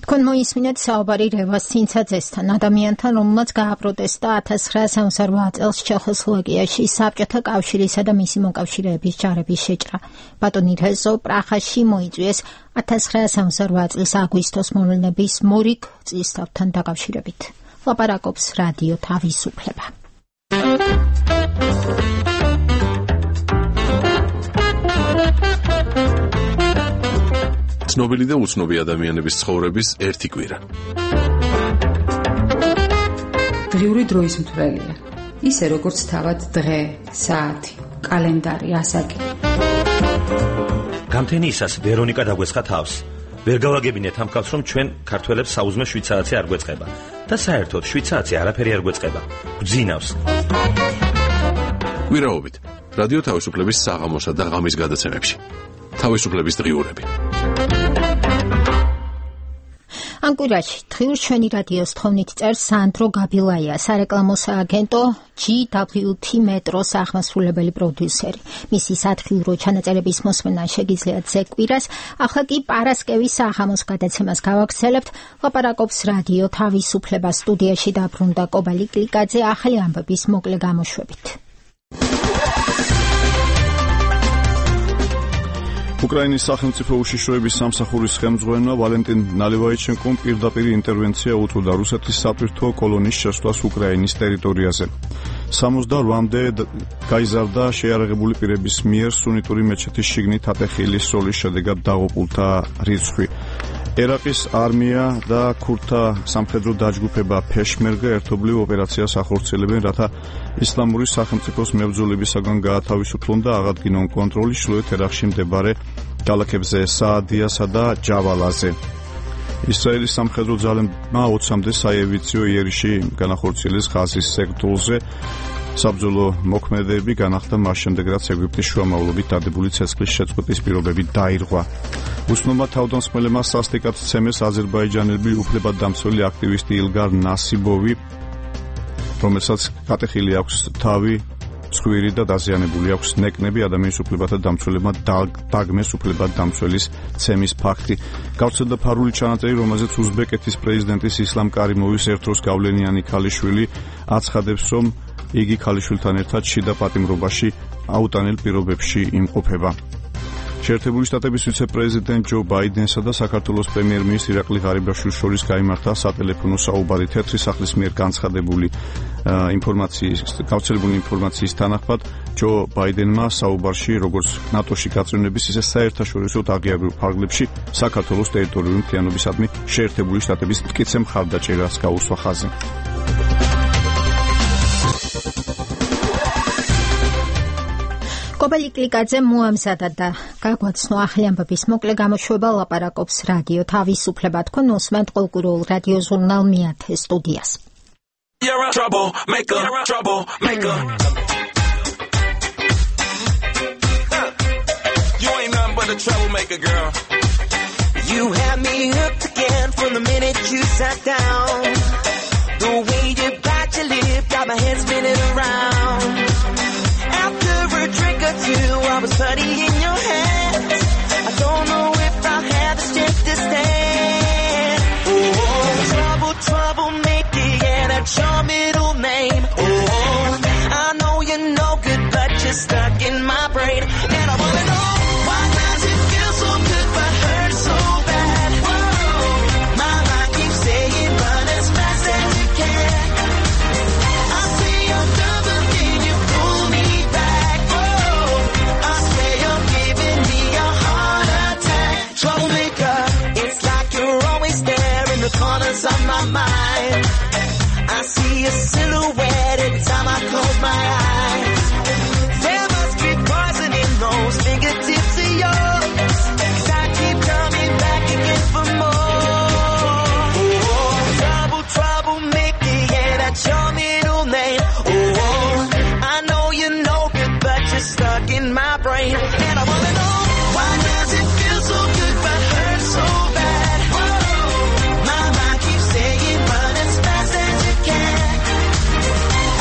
თქვენ მოისმინეთ საუბარი რევას ცინცაძესთან, ადამიანთან, რომელმაც გააპროტესტა 1968 წელს ჩეხოსლოვაკიაში საბჭოთა კავშირისა და მისი მოკავშირეების ჯარების შეჭრა. ბატონი რეზო პრაღაში მოიწვიეს 1968 წლის აგვისტოს მოვლენების მორიგ წლისთავთან დაკავშირებით. ლაპარაკობს რადიო თავისუფლება. ცნობილი და უცნობი ადამიანების ცხოვრების ერთი კვირა. დღიური დროის მთვრელია. ისე როგორც თავად დღე, საათი, კალენდარი, ასაკი. გამთენიისას ვერონიკა დაგვესხა თავს. ვერ გავაგებინეთ ამ კაცს, რომ ჩვენ ქართველებს საუზმე 7 საათი არ გვეწყება და საერთოდ 7 საათი არაფერი არ გვეწყება. გძინავს. კვირაობით რადიო თავისუფლების საღამოსა და ღამის გადაცემებში. თავისუფლების დღიურები. ანკურაში დღიურ ჩვენი რადიოს თხოვნით წერს სანდრო გაბილაია, სარეკლამო სააგენტო GWT მეტროს აღმასრულებელი პროდიუსერი. მისი სათხილრო ჩანაწერების მოსმენა შეგიძლიათ ზეკვირას. ახლა კი პარასკევის საღამოს გადაცემას გავაგრძელებთ. ლაპარაკობს რადიო თავისუფლება, სტუდიაში დაბრუნდა კობალი კლიკაძე ახალი ამბების მოკლე გამოშვებით. უკრაინის სახელმწიფო უშიშროების სამსახურის ხელმძღვანელმა ვალენტინ ნალევაიჩენკომ პირდაპირ ინტერვენცია უთუდა რუსეთის სატვირთო კოლონის შესვლას უკრაინის ტერიტორიაზე. 68-მდე გაიზარდა შეიარაღებული პირების მიერ სუნიტური მეჩეთის შიგნით ატეხილის სროლის შედეგად დაღუპულთა რიცხვი. ერაყის არმია და ქურთთა სამხედრო დაჯგუფება ფეშმერგა ერთობლივ ოპერაციას ახორციელებენ, რათა ისლამური სახელმწიფოს მებრძოლებისაგან გაათავისუფლონ და აღადგინონ კონტროლი ჩრდილოეთ ერაყში მდებარე ქალაქებზე საადიასა და ჯავალაზე. ისრაელის სამხედრო ძალებმა 20-მდე საევიციო იერიში განახორციელეს ღაზის სექტორზე. საბრძოლო მოქმედებები განახდა მას შემდეგ, რაც ეგვიპტის შუამავლობით დადებული ცეცხლის შეწყვეტის პირობები დაირღვა. უცნობმა თავდამსხმელებმა სასტიკად ცემეს აზერბაიჯანელი უფლებადამცველი აქტივისტი ილგარ ნასიბოვი, რომელსაც გატეხილი აქვს თავი, ცხვირი და დაზიანებული აქვს ნეკნები. ადამიანის უფლებათა დამცველებმა დაგმეს უფლებადამცველის ცემის ფაქტი. გავრცელდა ფარული ჩანაწერი, რომელზეც უზბეკეთის პრეზიდენტის ისლამ კარიმოვის ერთდროს გავლენიანი ქალიშვილი აცხადებს, რომ იგი ქალიშვილთან ერთად შიდა პატიმრობაში აუტანელ პირობებში იმყოფება. შეერთებული შტატების ვიცე-პრეზიდენტ ჯო ბაიდენსა და საქართველოს პრემიერ-მინისტრ ირაკლი ღარიბაშვილის შორის გაიმართა სატელეფონო საუბარი. თეთრი სახლის მიერ გავრცელებული ინფორმაციის თანახმად, ჯო ბაიდენმა საუბარში, როგორც ნატოში გაწევნების, ისე საერთაშორისო აღიარებულ ფარგლებში საქართველოს ტერიტორიული მთლიანობისადმი შეერთებული შტატების მტკიცე მხარდაჭერას გაუსვა ხაზი. კობალი კლიკაძე მოამზადა და გაგვაცნო ახალი ამბების მოკლე გამოშვება. ლაპარაკობს რადიო თავისუფლება. თქვენ უსმენთ ყოველკვირეულ რადიო ჟურნალ მეათე სტუდიას. You had me hooked again from the minute you sat down. The way you bite your lip got my head spinning around. After a drink or two, I was putty in your hands. I don't know if I had the strength to stand. Oh, troublemaker, yeah, that's your middle name. Oh, I know you're no good, but you're stuck in my brain. And I wanna know, why does it feel so good but hurt so bad? Whoa, my mind keeps saying run as fast as you can. I say I'm done, but then you pull me back. Whoa, I swear you're giving me a heart attack. Troublemaker, it's like you're always there in the corners of my mind. I see a silhouette every time I close my eyes. There must be poison in those fingertips of yours, 'cause I keep coming back again for more. Oh, troublemaker, yeah, that's your middle name. Oh, I know you're no good, but you're stuck in my brain. And I wanna know, why does it feel so good but hurt so bad? Whoa, my mind keeps saying run as fast as you can.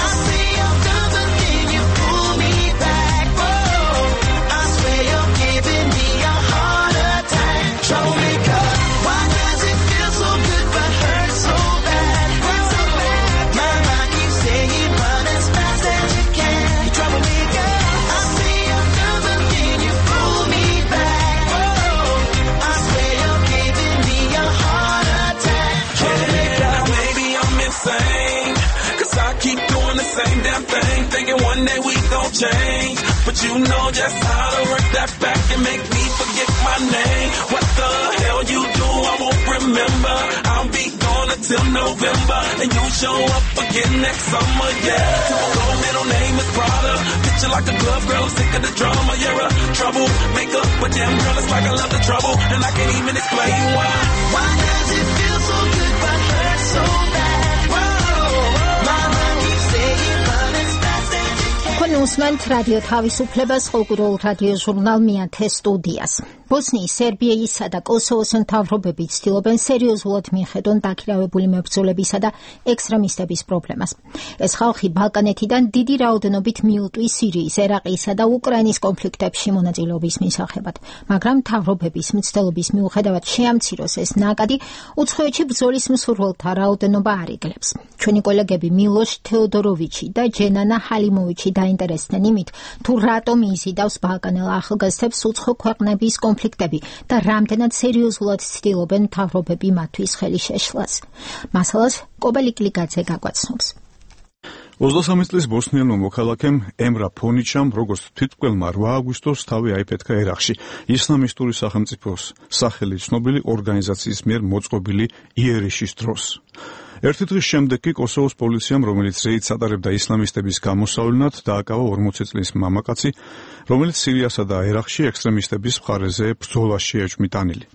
I say I'm done, but then you pull me back. Whoa, I swear you're giving me a heart attack. Troublemaker, why does it feel so good but hurt so bad? My mind keeps saying run as fast as you can. Troublemaker, I say I'm done, but then you pull me back. Whoa, I swear you're giving me a heart attack. Troublemaker, maybe I'm insane, 'cause I keep doing the same damn thing, thinking one day we gon' change. But you know just how to work that back and make me forget my name. What the hell you do, I won't remember. I'll be gone until November, and you show up again next summer, yeah. Typical middle name is Prada. Picture like a glove girl, sick of the drama. You're a troublemaker, but damn girl, it's like I love the trouble, and I can't even explain why. why does it feel so good but hurt so bad? Whoa, my mind keeps saying run as fast as you can. თქვენ უსმენთ რადიო თავისუფლებას, ყოველკვირეულ რადიო ჟურნალ მეათე სტუდიას. ბოსნიის, სერბიისა და კოსოვოს მთავრობები ცდილობენ სერიოზულად მიხედონ დაქირავებული მებრძოლებისა და ექსტრემისტების პრობლემას. ეს ხალხი ბალკანეთიდან დიდი რაოდენობით მიუტვის სირიის, ერაყისა და უკრაინის კონფლიქტებში მონაწილეობის მისაღებად, მაგრამ მთავრობების მცდელობის მიუხედავად შეამციროს ეს ნაკადი, უცხოეთში ბრძოლის მსურველთა რაოდენობა არ იგლებს. ჩვენი კოლეგები მილოშ თეოდოროვიჩი და ჯენანა ჰალიმოვიჩი დაინტერესდნენ იმით, თუ რატომ იზიდავს ბალკანელ ახალგაზრდებს უცხო ქვეყნების კონფლიქტები და რამდენად სერიოზულად ცდილობენ მთავრობები მათთვის ხელი შეშლას. მასალას კობელიკლიგაძე გაგვაცნობს. 23 წლის ბოსნიელმა მოქალაქემ ემრა ფონიჩამ, როგორც თვითმკვლელმა 8 აგვისტოს თავი აიფეთქა ერაყში, ისლამისტური სახელმწიფოს სახელი ცნობილი ორგანიზაციის მიერ მოწყობილი იერიშის დროს. ერთი დღის შემდეგ კი კოსოვოს პოლიციამ, რომელიც რეიდს ატარებდა ისლამისტების გამოსავლენად, დააკავა 40 წლის მამაკაცი, რომელიც სირიასა და ერაყში ექსტრემისტების მხარეზე ბრძოლაში ეჭვმიტანილი.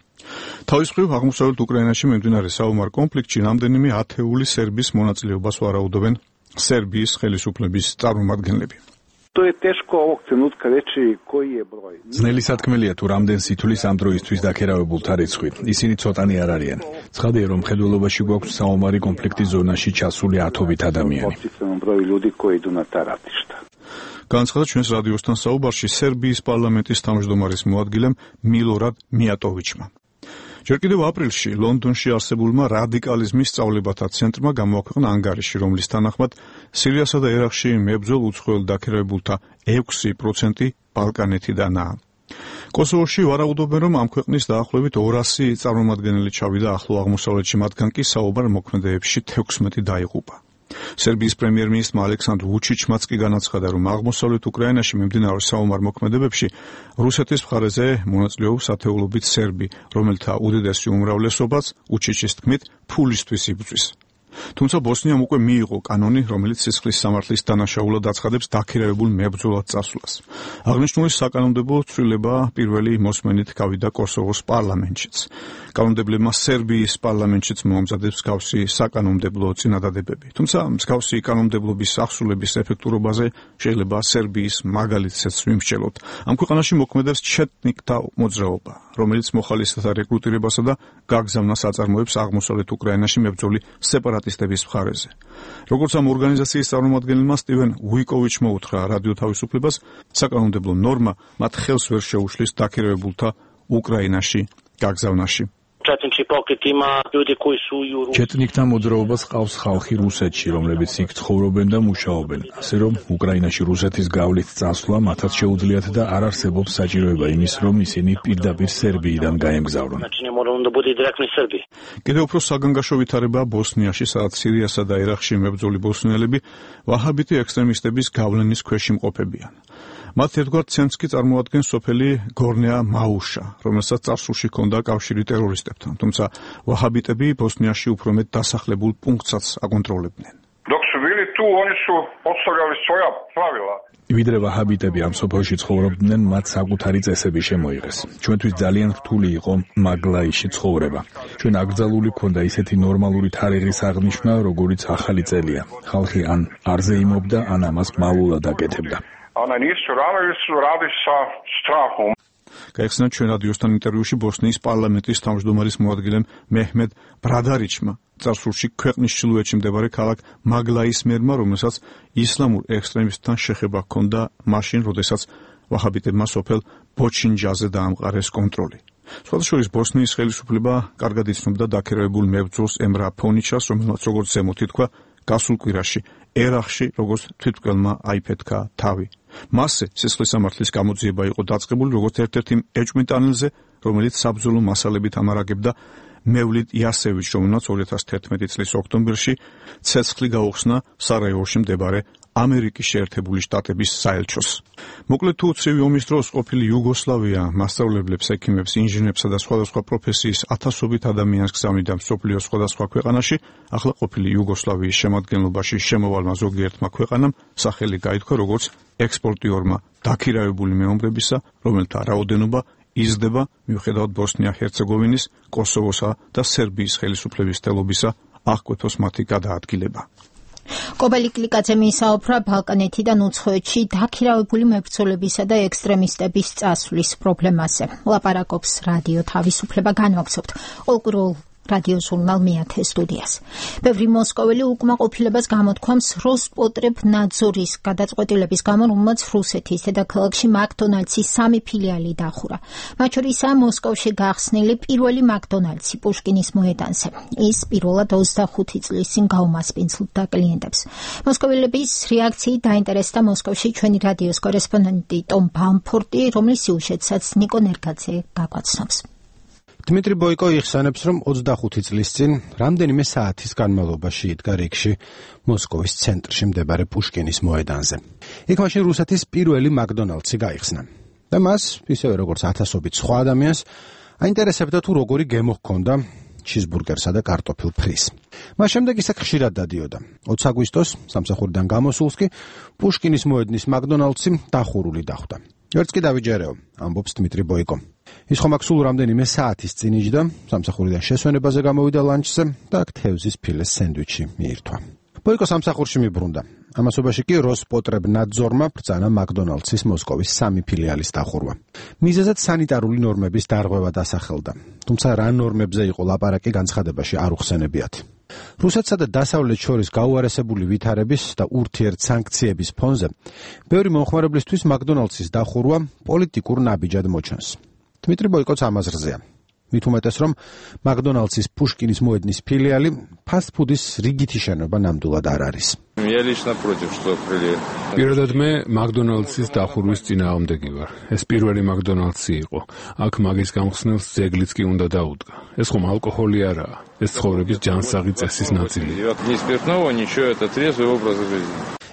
თავის მხრივ აღმოსავლეთ უკრაინაში მიმდინარე საომარ კონფლიქტში რამდენიმე ათეული სერბის მონაწილეობას ვარაუდობენ სერბიის ხელისუფლების წარმომადგენლები. ძნელი სათქმელია თუ რამდენ სითulis ამ დროისთვის დაქერავებულთა რიცხვი. ისინი ცოტანი არ არიან. ცხადია, რომ მხედველობაში გვაქვს საომარი კონფლიქტის ზონაში ჩასული ათობით ადამიანი. განაცხადა ჩვენს რადიოსთან საუბარში სერბიის პარლამენტის თავმჯდომარის მოადგილემ მილორად მიატოვიჩმა. ჯერ კიდევ აპრილში ლონდონში არსებულმა რადიკალიზმის სწავლებათა ცენტრმა გამოაქვეყნა ანგარიში, რომლის თანახმად სირიასა და ერაყში მებრძოლ უცხოელ დაქირავებულთა 6% ბალკანეთიდანაა. კოსოვოში ვარაუდობენ, რომ ამ ქვეყნის დაახლოებით 200 წარმომადგენელი ჩავიდა ახლო აღმოსავლეთში, მათგან კი საომარ მოქმედებებში 16 დაიღუპა. სერბიის პრემიერ-მინისტრმა ალექსანდრ ვუჩიჩმაც კი განაცხადა, რომ აღმოსავლეთ უკრაინაში მიმდინარე საომარ მოქმედებებში რუსეთის მხარეზე მონაწილეობს ათეულობით სერბი, რომელთა უდიდესი უმრავლესობაც უჩიჩის თქმით ფულისთვის იბრძვის. თუმცა ბოსნიამ უკვე მიიღო კანონი, რომელიც სისხლის სამართლის დანაშაულად აცხადებს დაქირავებულ მებრძოლად წასვლას. აღნიშნული საკანონმდებლო ცვლილება პირველი მოსმენით გავიდა კოსოვოს პარლამენტშიც. კანონმდებლებმა სერბიის პარლამენტშიც მოამზადებს მსგავსი საკანონმდებლო წინადადებები. თუმცა მსგავსი კანონმდებლობის აღსრულების ეფექტურობაზე შეიძლება სერბიის მაგალითსაც ვიმსჯელოთ. ამ ქვეყანაში მოქმედებს ჩეტნიკთა მოძრაობა, რომელიც მოხალისეთა რეკრუტირებასა და გაგზავნას აწარმოებს აღმოსავლეთ უკრაინაში მებრძოლი სეპარატისტების მხარეზე. როგორც ამ ორგანიზაციის წარმომადგენელმა სტივენ უიკოვიჩმა უთხრა რადიო თავისუფლებას, საკანონმდებლო ნორმა მათ ხელს ვერ შეუშლის დაქირავებულთა უკრაინაში გაგზავნაში. ჩეტნიკთა მოძრაობას ყავს ხალხი რუსეთში, რომლებიც იქ ცხოვრობენ და მუშაობენ, ასე რომ უკრაინაში რუსეთის გავლით წასვლა მათაც შეუძლიათ და არ არსებობს საჭიროება იმის, რომ ისინი პირდაპირ სერბიიდან გაემგზავრონ. კიდევ უფრო საგანგაშო ვითარება ბოსნიაში, სადაც სირიასა და ერაყში მებრძოლი ბოსნიელები ვაჰაბიტი ექსტრემისტების გავლენის ქვეშ იმყოფებიან. მათ ერთგვარ ცენტრს კი წარმოადგენს სოფელი გორნეა მაუშა, რომელსაც წარსულში ჰქონდა კავშირი ტერორისტებთან, თუმცა ვაჰაბიტები ბოსნიაში უფრო მეტ დასახლებულ პუნქტსაც აკონტროლებდნენ. ვიდრე ვაჰაბიტები ამ სოფელში ცხოვრობდნენ, მათ საკუთარი წესები შემოიღეს. ჩვენთვის ძალიან რთული იყო მაგლაიში ცხოვრება. ჩვენ აკრძალული ჰქონდა ისეთი ნორმალური თარიღის აღნიშვნა, როგორიც ახალი წელია. ხალხი ან არ ზეიმობდა, ან ამას მალულად აკეთებდა. გაიხსნა ჩვენ რადიოსთან ინტერვიუში ბოსნიის პარლამენტის თავმჯდომარის მოადგილემ მეჰმედ ბრადარიჩმა, წარსულში ქვეყნის ჩრდილოეთში მდებარე ქალაქ მაგლაის მერმა, რომელსაც ისლამურ ექსტრემისტთან შეხება ჰქონდა მაშინ, როდესაც ვაჰაბიტებმა სოფელ ბოჩინჯაზე დაამყარეს კონტროლი. სხვადასხვა ბოსნიის ხელისუფლება კარგად იცნობდა დაქირავებულ მებრძოლს ემრა ფონიჩას, რომელმაც როგორც ზემოთ ითქვა, გასულ კვირაში ერაყში როგორც თვითმკვლელმა აიფეთქა თავი. მასზე სისხლის სამართლის გამოძიება იყო დაწყებული როგორც ერთ-ერთი ეჭვმიტანილზე, რომელიც საბრძოლო მასალებით ამარაგებდა მევლიდ იასევიჩ, რომელმაც 2011 წლის ოქტომბერში ცეცხლი გაუხსნა სარაევოში მდებარე ამერიკის შეერთებული შტატების საელჩოს. მოკლედ თუ ცივი ომის დროს ყოფილი იუგოსლავია მასწავლებლებს, ექიმებს, ინჟინერებსა და სხვადასხვა პროფესიის ათასობით ადამიანს გზავნიდა მსოფლიოს სხვადასხვა ქვეყანაში, ახლა ყოფილი იუგოსლავიის შემადგენლობაში შემოვალმა ზოგიერთმა ქვეყანამ სახელი გაითქვა როგორც ექსპორტიორმა დაქირავებული მეომრებისა, რომელთა რაოდენობა იზრდება მიუხედავად ბოსნია-ჰერცეგოვინის, კოსოვოსა და სერბიის ხელისუფლების თელობისა აღკვეთოს მათი გადაადგილება. კობელი კლიკაძე მიისაუბრა ბალკანეთიდან უცხოეთში დაქირავებული მებრძოლებისა და ექსტრემისტების წასვლის პრობლემაზე. ლაპარაკობს რადიო თავისუფლება განვაგრძობთ ყოველკვირეულ რადიო ჟურნალ მეათე სტუდიას. ბევრი მოსკოველი უკმაყოფილებას გამოთქვამს როსპოტრებნაძორის გადაწყვეტილების გამო, რომელმაც რუსეთის დედაქალაქში მაკდონალდსის 3 ფილიალი დახურა. მათ შორისაა მოსკოვში გახსნილი პირველი მაკდონალდსი პუშკინის მოედანზე. ის პირველად 25 წლის წინ გაუმასპინძლდა კლიენტებს. მოსკოველების რეაქციით დაინტერესდა მოსკოვში ჩვენი რადიოს კორესპონდენტი ტომ ბამფორტი, რომლის სიუჟეტსაც ნიკო ნერგაძე გაგვაცნობს. დმიტრი ბოიკო იხსენებს, რომ 25 წლის წინ რამდენიმე საათის განმავლობაში იდგა რიგში მოსკოვის ცენტრში მდებარე პუშკინის მოედანზე. იქ მაშინ რუსეთის პირველი მაკდონალდსი გაიხსნა. და მას, ისევე როგორც ათასობით სხვა ადამიანს, აინტერესებდა თუ როგორი გემო ჰქონდა ჩიზბურგერსა და კარტოფილ ფრის. მას შემდეგ ისე ხშირად დადიოდა. 20 აგვისტოს სამსახურიდან გამოსულს კი პუშკინის მოედნის მაკდონალდსი დახურული დახვდა. ვერც კი დავიჯერეო, ამბობს დმიტრი ბოიკო. ის ხომ აქ სულ რამდენიმე საათის წინ იჯდა, სამსახურიდან შესვენებაზე გამოვიდა ლანჩზე და აქ თევზის ფილეს სენდვიჩი მიირთვა. ბოიკო სამსახურში მიბრუნდა. ამასობაში კი როსპოტრებნაძორმა ბრძანა მაკდონალდსის მოსკოვის 3 ფილიალის დახურვა. მიზეზად სანიტარული ნორმების დარღვევა დასახელდა. თუმცა რა ნორმებზე იყო ლაპარაკი, განცხადებაში არ უხსენებიათ. რუსეთსა და დასავლეთს შორის გაუარესებული ვითარების და ურთიერთსანქციების ფონზე ბევრი მომხმარებლისთვის მაკდონალდსის დახურვა პოლიტიკურ ნაბიჯად მოჩანს. დმიტრი ბოიკოც ამაზრზეა. მით უმეტეს, რომ მაკდონალდსის პუშკინის მოედნის ფილიალი ფასტფუდის რიგითი შენობა ნამდვილად არ არის. პირადად მე მაკდონალდსის დახურვის წინააღმდეგი ვარ. ეს პირველი მაკდონალდსი იყო. აქ მაგის გამხსნელს ძეგლიც კი უნდა დაუდგა. ეს ხომ ალკოჰოლი არაა. ეს ცხოვრების ჯანსაღი წესის ნაწილია.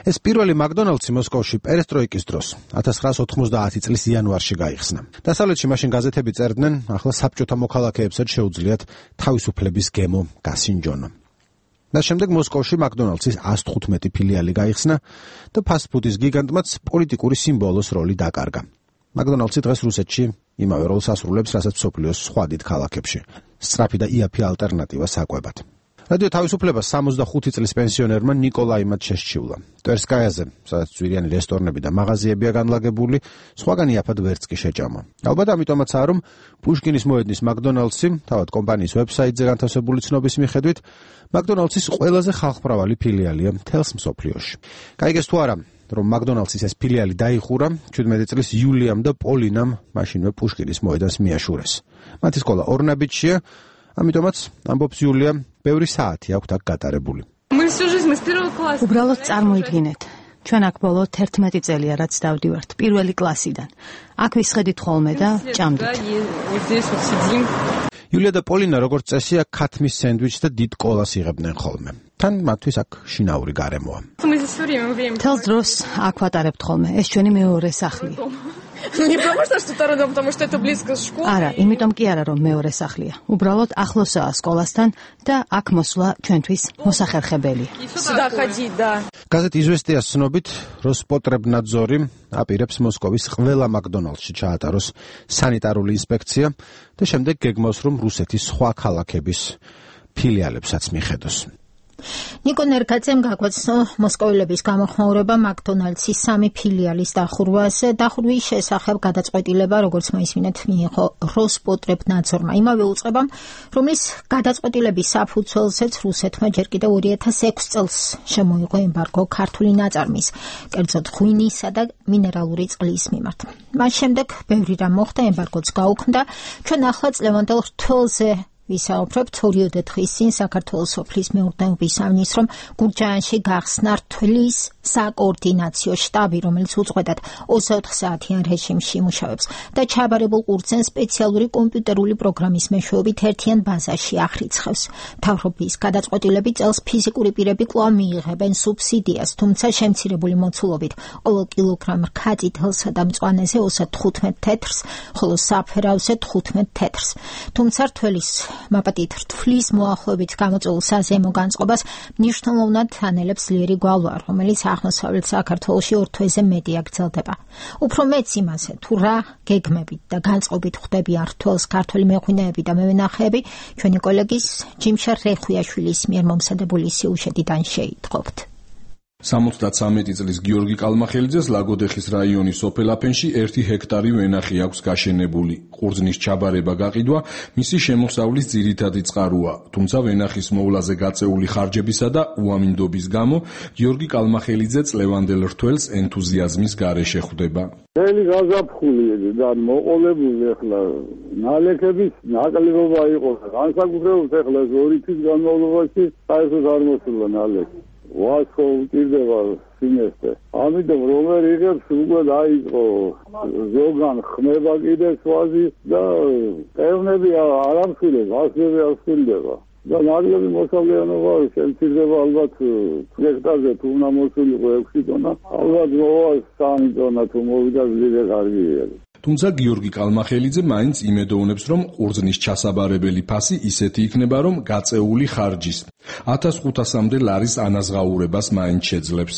ეს პირველი მაკდონალდსი მოსკოვში პერესტროიკის დროს 1990 წლის იანვარში გაიხსნა. დასავლეთში მაშინ გაზეთები წერდნენ, ახლა საბჭოთა მოქალაქეებსაც შეუძლიათ თავისუფლების გემო გასინჯონ. და შემდეგ მოსკოვში მაკდონალდსის 115 ფილიალი გაიხსნა და ფასტფუდის გიგანტმაც პოლიტიკური სიმბოლოს როლი დაკარგა. მაკდონალდსი დღეს რუსეთში იმავე როლს ასრულებს, რასაც მსოფლიოს სხვა დიდ ქალაქებში. სწრაფი და იაფი ალტერნატივა საკვებად. რადიო თავისუფლება 65 წლის პენსიონერმა ნიკოლაიმად შესჩივლა. ტერსკაიაზე, სადაც ძვირიანი რესტორნები და მაღაზიებია განლაგებული, სხვაგან იაფად ვერც კი შეჭამა. ალბათ ამიტომაცაა, რომ პუშკინის მოედნის მაკდონალდსი, თავად კომპანიის ვებსაიტზე განთავსებული ცნობის მიხედვით, მაკდონალდსის ყველაზე ხალხმრავალი ფილიალია მთელს მსოფლიოში. გაიგეს თუ არა, რომ მაკდონალდსის ეს ფილიალი დაიხურა 17 წლის იულიამ და პოლინამ მაშინვე პუშკინის მოედანს მიაშურეს. მათი სკოლა ორნაბიჯშია, ამიტომაც ამბობს იულია, ბევრი საათი აქვთ აქ გატარებული. უბრალოდ წარმოიდგინეთ, ჩვენ აქ ბოლო 11 წელია რაც დავდივართ პირველი კლასიდან. აქ ვისხედით ხოლმე და ჭამდით. იულია და პოლინა როგორც წესია ქათმის სენდვიჩს და დიდ კოლას იღებდნენ ხოლმე. თან მათთვის აქ შინაური გარემოა. თელს დროს აქ ვატარებთ ხოლმე, ეს ჩვენი მეორე სახლია. არა, იმიტომ კი არა, რომ მეორე სახლია. უბრალოდ ახლოსაა სკოლასთან და აქ მოსვლა ჩვენთვის მოსახერხებელია. გაზეთ იზვესტიას ცნობით, როსპოტრებნაძორი აპირებს მოსკოვის ყველა მაკდონალდსში ჩაატაროს სანიტარული ინსპექცია და შემდეგ გეგმავს, რომ რუსეთის სხვა ქალაქების ფილიალებსაც მიხედოს. ნიკო ნერგაძემ გაგვაცნო მოსკოველების გამოხმაურება მაკდონალდსის 3 ფილიალის დახურვაზე. დახურვის შესახებ გადაწყვეტილება, როგორც მოისმინეთ, მიიღო როსპოტრებნაძორმა, იმავე უწყებამ, რომლის გადაწყვეტილების საფუძველზეც რუსეთმა ჯერ კიდევ 2006 წელს შემოიღო ემბარგო ქართული ნაწარმის, კერძოდ ღვინისა და მინერალური წყლის მიმართ. მას შემდეგ ბევრი რამ მოხდა, ემბარგოც გაუქმდა. ჩვენ ახლა წლევანდელ რთველზე ვისაუბრებთ. 2 დღის წინ საქართველოს სოფლის მეურნეობის სამინისტრომ გურჯაანში გახსნა რთვლის საკოორდინაციო შტაბი, რომელიც უწყვეტად 24 საათიან რეჟიმში იმუშავებს და ჩაბარებულ ყურძენ სპეციალური კომპიუტერული პროგრამის მეშვეობით ერთიან ბაზაში აღრიცხავს. მთავრობის გადაწყვეტილებით წელს ფიზიკური პირები კვლავ მიიღებენ სუბსიდიას, თუმცა შემცირებული მოცულობით ყოველ კილოგრამ რქაწითელსა და მწვანეზე 35 თეთრს, ხოლო საფერავზე 15 თეთრს. თუმცა რთვლის მაპატით რთვლის მოახლოებით გამოწვეულ საზემო განწყობას მნიშვნელოვნად ანელებს ძლიერი გვალვა, რომელიც აღმოსავლეთ საქართველოში ორ თვეზე მეტი აგრძელდება. უფრო მეც იმაზე, თუ რა გეგმებით და განწყობით ხვდებიან რთველს ქართველი მეღვინეები და მევენახეები, ჩვენი კოლეგის ჯიმშარ რეხვიაშვილის მიერ მომზადებული სიუჟეტიდან შეიტყობთ. 73 წლის გიორგი კალმახელიძეს ლაგოდეხის რაიონის სოფელ აფენში 1 ჰექტარი ვენახი აქვს გაშენებული. ყურძნის ჩაბარება გაყიდვა მისი შემოსავლის ძირითადი წყაროა, თუმცა ვენახის მოვლაზე გაწეული ხარჯებისა და უამინდობის გამო გიორგი კალმახელიძე წლევანდელ რთველს ენთუზიაზმის გარეშე ხვდება. მთელი გაზაფხული და მოყოლებული ახლა ნალექების ნაკლებობა იყო. განსაკუთრებით ახლა 2 თვის განმავლობაში საერთოდ არ მოსულა ნალექი. ვასო უჭირდება სინესტე. ამიტომ რომელი იღებს უკვე დაიწყო ზოგან ხმება კიდეც ვაზი და პევნები არ ამსულებს, ასლები არ სულდება. და ნაკლები მოსავლიანობა შემცირდება ალბათ ჰექტარზე თუ უნდა მოსულიყო 6 ტონა, ალბათ მოვა 3 ტონა თუ მოვიდა ძლიერე კარგია. თუმცა გიორგი კალმახელიძე მაინც იმედოვნებს, რომ ყურძნის ჩასაბარებელი ფასი ისეთი იქნება, რომ გაწეული ხარჯის 1500-მდე ლარის ანაზღაურებას მაინც შეძლებს.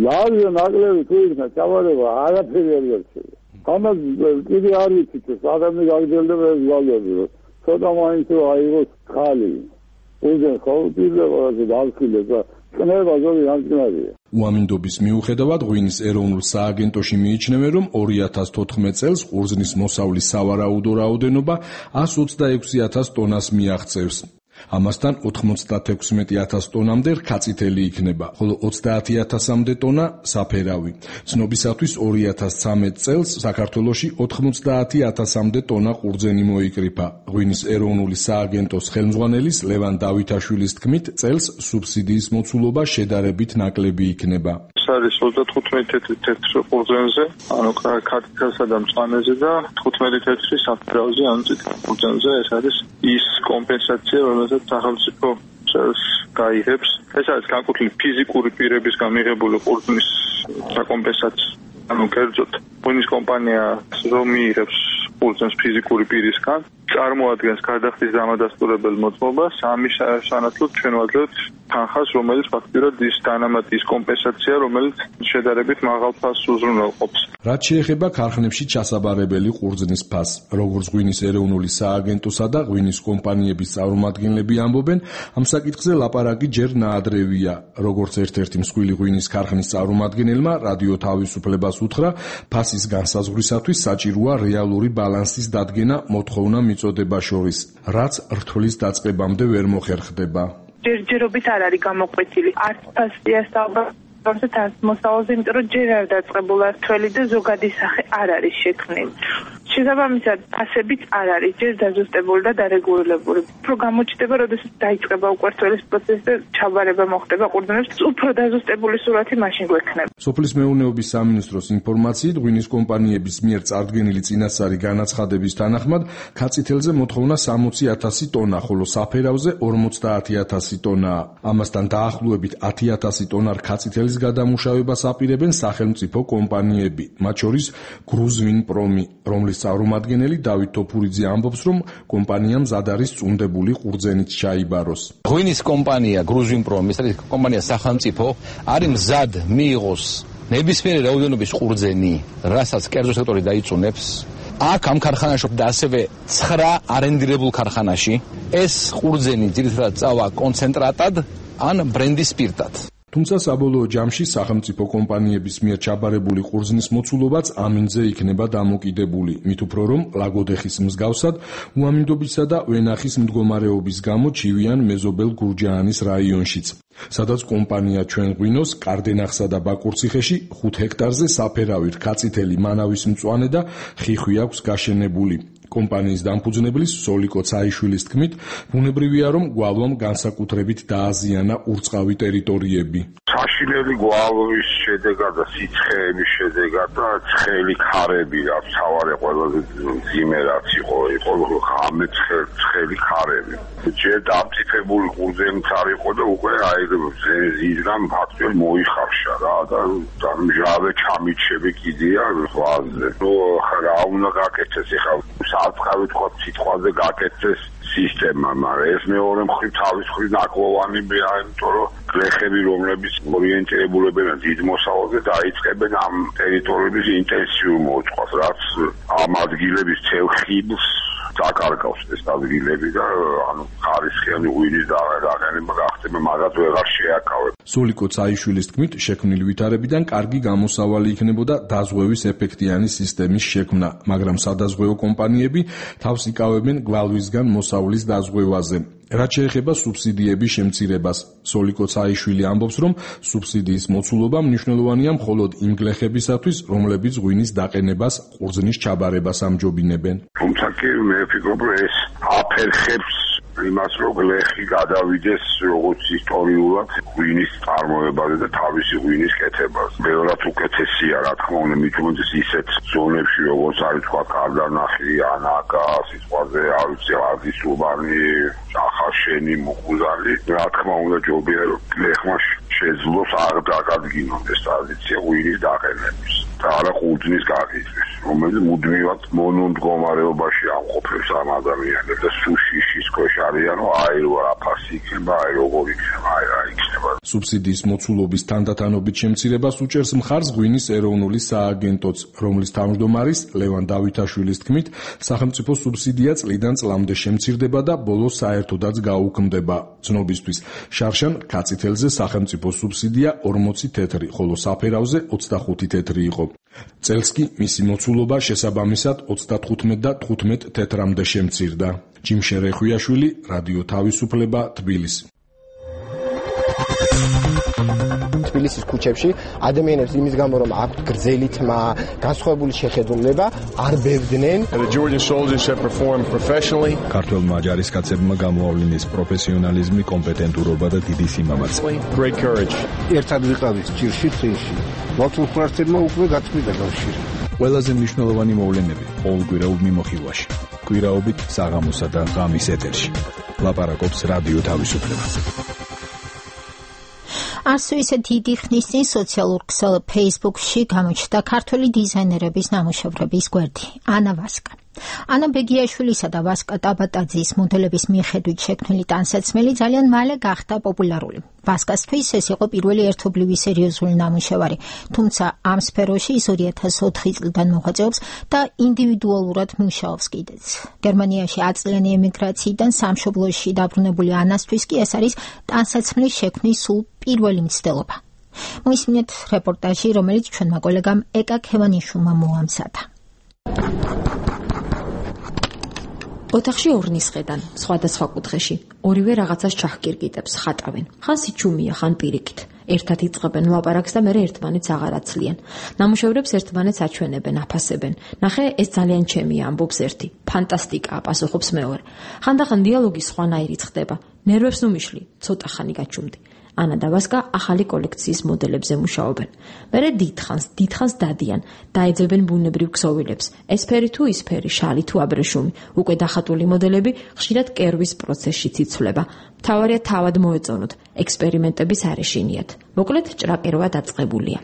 ლარია ნაკლები თუ იქნა ჩაბარება არაფერი არ გერჩება. ამას კიდე არ ვიცით, სადამე გაგრძელდება ეს გალები, ცოტა მაინც აიღოს ხალი. უზენ ხოუტილება დავსილეს და კნება ზოგი ამწნარია. უამინდობის მიუხედავად ღვინის ეროვნულ სააგენტოში მიიჩნევენ, რომ 2014 წელს ყურძნის მოსავლის სავარაუდო რაოდენობა 126,000 ტონას მიაღწევს. ამასთან 96,000 ტონამდე რქაწითელი იქნება, ხოლო 30,000-მდე ტონა საფერავი. ცნობისათვის 2013 წელს საქართველოში 90,000-მდე ტონა ყურძენი მოიკრიფა. ღვინის ეროვნული სააგენტოს ხელმძღვანელის ლევან დავითაშვილის თქმით, წელს სუბსიდიის მოცულობა შედარებით ნაკლები იქნება. არის 35 თეთრ ყურძენზე, ანუ ქართლსა და მწვანეზე და 15 თეთრი საფერავზე, ანუ წითელ ყურძენზე. ეს არის ის კომპენსაცია, რომელსაც სახელმწიფო გაიღებს. ეს არის განკუთვნილი ფიზიკური პირებისგან მიღებული ყურძნის საკომპენსაციო. ანუ კერძოდ, ღვინის კომპანია რომ მიიღებს ყურძენს ფიზიკური პირისგან, წარმოადგენს გარდახდის დამადასტურებელ მოწყობას, ამის სანაცვლოდ ჩვენ ვაძლევთ თანხას, რომელიც ფაქტიურად ის დანამატის კომპენსაცია, რომელიც შედარებით მაღალ ფასს უზრუნველყოფს. რაც შეეხება ქარხნებში ჩასაბარებელი ყურძნის ფასს, როგორც ღვინის ეროვნული სააგენტოსა და ღვინის კომპანიების წარმომადგენლები ამბობენ, ამ საკითხზე ლაპარაკი ჯერ ნაადრევია. როგორც ერთ-ერთი მსხვილი ღვინის ქარხნის წარმომადგენელმა რადიო თავისუფლებას უთხრა, ფასის განსაზღვრისათვის საჭიროა რეალური ბალანსის დადგენა მოთხოვნა მიწოდება შორის, რაც რთვლის დაწყებამდე ვერ მოხერხდება. ჯერჯერობით არ არის გამოყვეთილი. არც ფასია საუბარზე თან მოსავალზე, იმიტომ რომ ჯერ არ დაწყებულა რთველი და ზოგადი სახე არ არის შექმნილი. შესაბამისად, ფასებიც არ არის ჯერ დაზუსტებული და დარეგულირებული. უფრო გამოჩნდება, როდესაც დაიწყება უკვე რთველის პროცესი და ჩაბარება მოხდება ყურძნებს, უფრო დაზუსტებული სურათი მაშინ გვექნება. სოფლის მეურნეობის სამინისტროს ინფორმაციით, ღვინის კომპანიების მიერ წარდგენილი წინასწარი განაცხადების თანახმად, ქაწითელზე მოთხოვნა 60,000 ტონა, ხოლო საფერავზე 50,000 ტონაა. ამასთან დაახლოებით 10,000 ტონა ქაწითელის გადამუშავებას აპირებენ სახელმწიფო კომპანიები, მათ შორის გრუზვინპრომი, რომლის წარმომადგენელი დავით თოფურიძე ამბობს, რომ კომპანიამ მზად არის წუნდებული ყურძენით ჩაიბაროს. ღვინის კომპანია გრუზვინპრომი, ეს არის კომპანია სახელმწიფო, არის მზად მიიღოს ნებისმიერი რაოდენობის ყურძენი, რასაც კერძო სექტორი დაიწუნებს. აქ ამ ქარხანაში და ასევე 9 არენდირებულ ქარხანაში ეს ყურძენი ძირითადად წავა კონცენტრატად ან ბრენდის სპირტად. თუმცა საბოლოო ჯამში სახელმწიფო კომპანიების მიერ ჩაბარებული ყურძნის მოცულობაც ამინდზე იქნება დამოკიდებული, მით უფრო რომ ლაგოდეხის მსგავსად უამინდობისა და ვენახის მდგომარეობის გამო ჩივიან მეზობელ გურჯაანის რაიონშიც, სადაც კომპანია ჩვენ ღვინოს კარდენახსა და ბაკურციხეში 5 ჰექტარზე საფერავი, რქაწითელი, მანავის მწვანე და ხიხვი აქვს გაშენებული. კომპანიის დამფუძნებლის სოლიკო ცაიშვილის თქმით, ბუნებრივია რომ გვალვამ განსაკუთრებით დააზიანა ურწყავი ტერიტორიები. საშინელი გვალვის შედეგად და სიცხეების შედეგად და ცხელი ქარები, რაც თავარი ყველაზე მძიმე რაც იყო ღამე ცხელი ქარები. ჯერ დამწიფებული ყურძენიც არ იყო და უკვე აი ზეიზგან ფაქტობრივად მოიხარშა რა და მჟავე ჩამიჩები კიდია ზღვაზე. ნუ რა უნდა გაკეთდეს ახლა საწყავი თქვა სიტყვაზე გაკეთდეს სისტემა, მაგრამ ეს მეორე მხრივ თავის მხრივ ნაკლოვანია, იმიტომ რომ გლეხები, რომლებიც ორიენტირებულებენ დიდ მოსავალზე, დაიწყებენ ამ ტერიტორიების ინტენსიურ მოწყობას, რაც ამ ადგილების ცელ ხიბლს დაკარგავს ეს ადგილები და ანუ ხარისხიანი ღვინის დაყენება გახდება, მაგათ ვეღარ შეაკავებ. სოლიკო წაიშვილის თქმით, შექმნილი ვითარებიდან კარგი გამოსავალი იქნებოდა დაზღვევის ეფექტიანი სისტემის შექმნა, მაგრამ სადაზღვეო კომპანიები თავს იკავებენ გვალვისგან მოსავლის დაზღვევაზე. რაც შეეხება სუბსიდიების შემცირებას, სოლიკო წაიშვილი ამბობს, რომ სუბსიდიის მოცულობა მნიშვნელოვანია მხოლოდ იმ გლეხებისათვის, რომლებიც ღვინის დაყენებას, ყურძნის ჩაბარებას ამჯობინებენ. თუმცა კი მე ვფიქრობ, რომ ეს აფერხებს იმას, რომ გლეხი გადავიდეს როგორც ისტორიულად ღვინის წარმოებაზე და თავისი ღვინის კეთებას. ბევრად უკეთესია, რა თქმა უნდა, მით უმეტეს ისეთ ზონებში, როგორც არის თქვა კარდანახი, ანაკა, სიტყვაზე, არ ვიცი, არდისუბანი, ახაშენი, მუხუზალი, რა თქმა უნდა, ჯობია რომ გლეხმა შეძლოს არ დაგადგინონ ეს ტრადიცია ღვინის დაყენების და არა ყურძნის გაკითხვის, რომელიც მუდმივად მონომდგომარეობაში ამყოფებს ამ ადამიანებს და სუშიშის ქვეშ არიანო, აი რა აფასი იქნება, აი როგორ იქნება, აი რა იქნება. სუბსიდიის მოცულობის თანდათანობით შემცირებას უჭერს მხარს ღვინის ეროვნული სააგენტოც, რომლის თავმჯდომარის ლევან დავითაშვილის თქმით, სახელმწიფო სუბსიდია წლიდან წლამდე შემცირდება და ბოლოს საერთოდაც გაუქმდება. ცნობისთვის, შარშან კაცითელზე სახელმწიფო სუბსიდია 40 თეთრი, ხოლო საფერავზე 25 თეთრი იყო. წელს კი მისი მოცულობა შესაბამისად 35 და 15 თეთრამდე შემცირდა. ჯიმშე რეხვიაშვილი, რადიო თავისუფლება, თბილისი. თბილისის ქუჩებში ადამიანებს იმის გამო რომ აქვთ გრძელი თმა, განსხვავებული შეხედულება, არ ბევდნენ. ქართველმა ჯარისკაცებმა გამოავლინეს პროფესიონალიზმი, კომპეტენტურობა და დიდი სიმამაცე. ერთად ვიყავით ჭირში წინში. მართლმხრივმა უკვე გაწმიდა კავშირი. ყველაზე მნიშვნელოვანი მოვლენები ყოველკვირეულ მიმოხილვაში. კვირაობით საღამოსა და ღამის ეთერში. ლაპარაკობს რადიო თავისუფლება. ასო ისე დიდი ხნის წინ სოციალურ ქსელ Facebook-ში გამოჩნდა ქართველი დიზაინერების ნამუშევრების გვერდი ანა ვასკა. ანა ბეგიაშვილისა და ვასკა ტაბატაძის მოდელების მიხედვით შექმნილი ტანსაცმელი ძალიან მალე გახდა პოპულარული. ვასკასთვის ეს იყო პირველი ერთობლივი სერიოზული ნამუშევარი, თუმცა ამ სფეროში ის 2004 წლიდან მოღვაწეობს და ინდივიდუალურად მუშაობს კიდეც. გერმანიაში 10 წლიანი ემიგრაციიდან სამშობლოში დაბრუნებული ანასთვის კი ეს არის ტანსაცმლის შექმნის სულ პირველი მცდელობა. მოისმინეთ რეპორტაჟი, რომელიც ჩვენმა კოლეგამ ეკა ქევანიშვილმა მოამზადა. ოთახში ორნის ხედან, სხვადასხვა კუთხეში, ორივე რაღაცას ჩახკირკიტებს, ხატავენ. ხან სიჩუმია, ხან პირიქით. ერთად იწყებენ ლაპარაკს და მერე ერთმანეთს აღარ აცლიან. ნამუშევრებს ერთმანეთს აჩვენებენ, აფასებენ. ნახე, ეს ძალიან ჩემია, ამბობს ერთი. ფანტასტიკაა, პასუხობს მეორე. ხანდახან დიალოგი სხვანაირიც ხდება. ნერვებს უმიშლი, ცოტა ხანი გაჩუმდი. ანა და ვასკა ახალი კოლექციის მოდელებზე მუშაობენ. მერე დიდხანს დადიან, დაეძებენ ბუნებრივ ქსოვილებს. ესფერი თუ ისფერი, შალი თუ აბრეშუმი. უკვე დახატული მოდელები ხშირად კერვის პროცესშიც იცვლება. მთავარია თავად მოეწონოთ, ექსპერიმენტების არ ეშინიათ. მოკლედ ჭრაკერვა დაწყებულია.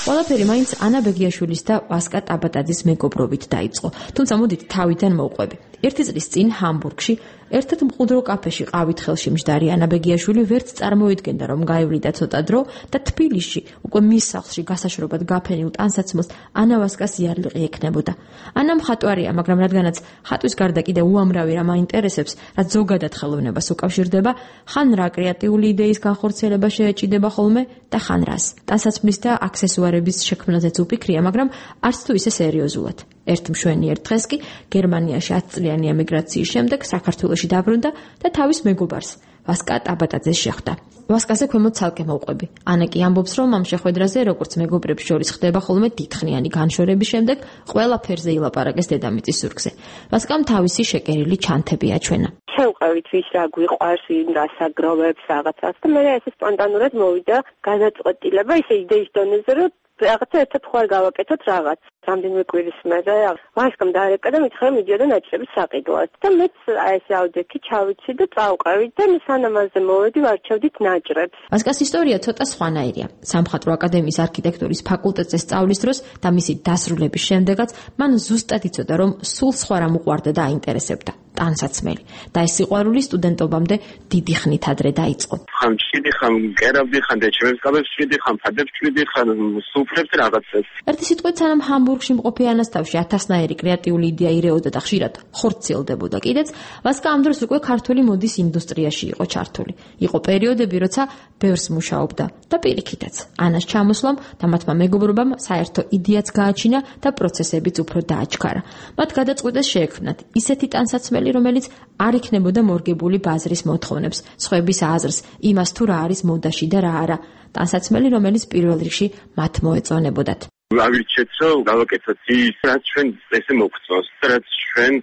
ყველაფერი მაინც ანა ბეგიაშვილის და ვასკა ტაბატაძის მეგობრობით დაიწყო. თუმცა მოდით თავიდან მოვყვები. ერთი წლის წინ ჰამბურგში ერთად მყუდრო კაფეში ყავით ხელში მჯდარი ანა ბეგიაშვილი ვერც წარმოიდგენდა რომ გაივლიდა ცოტა დრო და თბილისში უკვე მის სახლში გასაშრობად გაფენილ ტანსაცმელს ანა ვასკას იარლიყი ექნებოდა. ანა მხატვარია, მაგრამ რადგანაც ხატვის გარდა კიდე უამრავი რამ აინტერესებს, რაც ზოგადად ხელოვნებას უკავშირდება, ხან რა კრეატიული იდეის განხორციელება შეეჭიდება ხოლმე და ხან რას. ტანსაცმლის და აქსესუარების შექმნაზეც უფიქრია, მაგრამ არც თუ ისე სერიოზულად. ერთ მშვენიერ დღეს კი გერმანიაში 10 წლიანი ემიგრაციის შემდეგ საქართველოში დაბრუნდა და თავის მეგობარს ვასკა ტაბატაძეს შეხვდა. ვასკაზე ქვემოთ ცალკე მოვყვები. ანა კი ამბობს, რომ ამ შეხვედრაზე, როგორც მეგობრებს შორის ხდება ხოლმე დიდხნიანი განშორების შემდეგ, ყველაფერზე ილაპარაკეს დედამიწის ზურგზე. ვასკამ თავისი შეკერილი ჩანთები აჩვენა. შევყევით ვის რა გვიყვარს, ვინ გასაგროვებს რაღაცას და მე ესე სპონტანურად მოვიდა განაწყვეტილება ისე იდეის დონეზე, რომ რაღაცა ერთად ხوار გავაკეთოთ რაღაც. რამდენიმე კვირის მერე ვასკამ დაარეკა და მითხრა მიდიოდა ნაჭრების საყიდლად და მეც აი ეს აუდიოქი ჩავიცი და წავყევით და სანამ ამაზე მოვედი ვარჩევდით ნაჭრებს. ვასკას ისტორია ცოტა სხვანაირია. სამხატვრო აკადემიის არქიტექტურის ფაკულტეტზე სწავლის დროს და მისი დასრულების შემდეგაც მან ზუსტად იცოდა, რომ სულ სხვა რამ უყვარდა და აინტერესებდა. ტანსაცმელი და ეს სიყვარული სტუდენტობამდე დიდი ხნით ადრე დაიწყო. ხან ჭიდი, ხან კერავდი, ხან დეჩემებს კაბებს ჭიდი, ხან ფადებს ჭიდი, ხან სუფრებს რაღაცებს. ერთი სიტყვით სანამ ჰამბურგში მყოფი ანასტავში ათასნაირი კრეატიული იდეა ირეოდა და ხშირად ხორციელდებოდა კიდეც, ვასკა ამ დროს უკვე ქართული მოდის ინდუსტრიაში იყო ჩართული. იყო პერიოდები, როცა ბევრს მუშაობდა და პირიქითაც. ანას ჩამოსვლამ და მათმა მეგობრობამ საერთო იდეაც გააჩინა და პროცესებიც უფრო დააჩქარა. მათ გადაწყვიტეს შეექმნათ ისეთი ტანსაცმელი, რომელიც არ იქნებოდა მორგებული ბაზრის მოთხოვნებს, სხვების აზრს, იმას თუ რა არის მოდაში და რა არა. ტანსაცმელი, რომელიც პირველ რიგში მათ მოეწონებოდათ. ავირჩეთ, რომ გავაკეთოთ ის, რაც ჩვენ ესე მოგწონს, რაც ჩვენ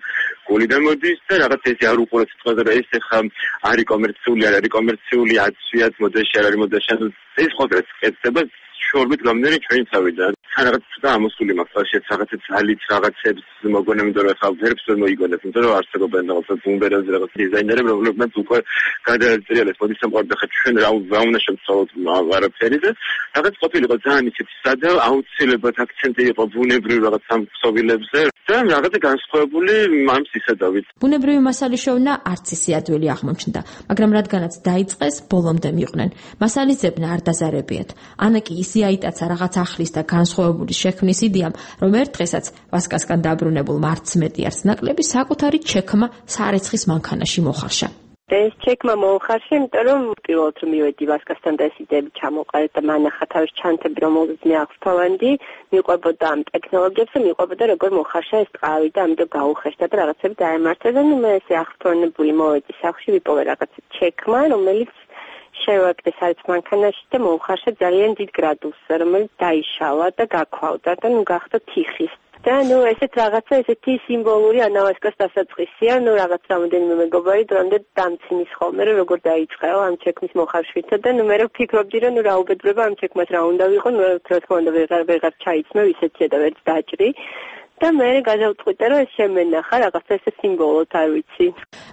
გულიდან მოდის და რაღაც ესე არ უყურეთ თქვა და ეს ხა არის კომერციული, არ არის კომერციული, აცვიათ მოდაში, არ არის მოდაში, ეს ყოველთვის კეთდება შორბით გამდერი ჩვენი თავიდან. რაღაც და ამოსული მაქვს რაღაცა ძალით რაღაცებს მოგონებდა რომ ხა ვერც ვერ მოიგონებ, იმიტომ რომ არსებობენ რაღაცა ბუმბერაზე რაღაც დიზაინერები, რომლებმაც უკვე გადააჭრიალეს მოდის სამყარო ხა ჩვენ რა უნდა შემცავლოთ არაფერი და რაღაც ყოფილიყო ძალიან ისეთი სადა აუცილებლად აქცენტი იყო ბუნებრივ რაღაც ამ ქსოვილებზე და რაღაცა განსხვავებული მამს ისედავით. ბუნებრივი მასალის შოვნა არც ისე ადვილი აღმოჩნდა, მაგრამ რადგანაც დაიწყეს, ბოლომდე მიყვნენ. მასალის ძებნა არ დაზარებიათ. ანა კი ისე აიტაცა რაღაც ახლის და განსხვავებული შექმნის იდეამ, რომ ერთ დღესაც ვასკასგან დაბრუნებულ მარც მეტი არც ნაკლები საკუთარი ჩექმა სარეცხის მანქანაში მოხარშა. ეს ჩექმა მოხარშა, იმიტომ რომ პირველად რომ მივედი ვასკასთან და ეს იდეები ჩამოყალიბდა და მანახა თავის ჩანთები, რომელზეც მე აღსფოვანდი, მიყვებოდა ამ ტექნოლოგიებს და მიყვებოდა როგორ მოხარშა ეს ტყავი და ამიტომ გაუხეშდა და რაღაცები დაემართა და მე ესე აღსფრონებული მოვედი სახლში, ვიპოვე რაღაც ჩექმა, რომელიც შევაკდეს არის მანქანაში და მოუხარშა ძალიან დიდ გრადუსზე, რომელიც დაიშალა და გაქვალდა და გახდა თიხის. და ესეთ რაღაცა ესეთი სიმბოლური ანავასკას დასაწყისია, რაღაც რამოდენიმე მეგობარი დრამდე დამცინის ხოლმე, რომ როგორ დაიწყეო ამ ჩექმის მოხარშვითა და მე ვფიქრობდი, რომ რა უბედურება ამ ჩექმას რა უნდა ვიყო, რა თქმა უნდა ვეღარ ჩაიცმევ ისეთია და ვერც დაჭრი. და მე გადავწყვიტე, რომ ეს შემენახა რაღაცა ესე სიმბოლოდ, არ ვიცი.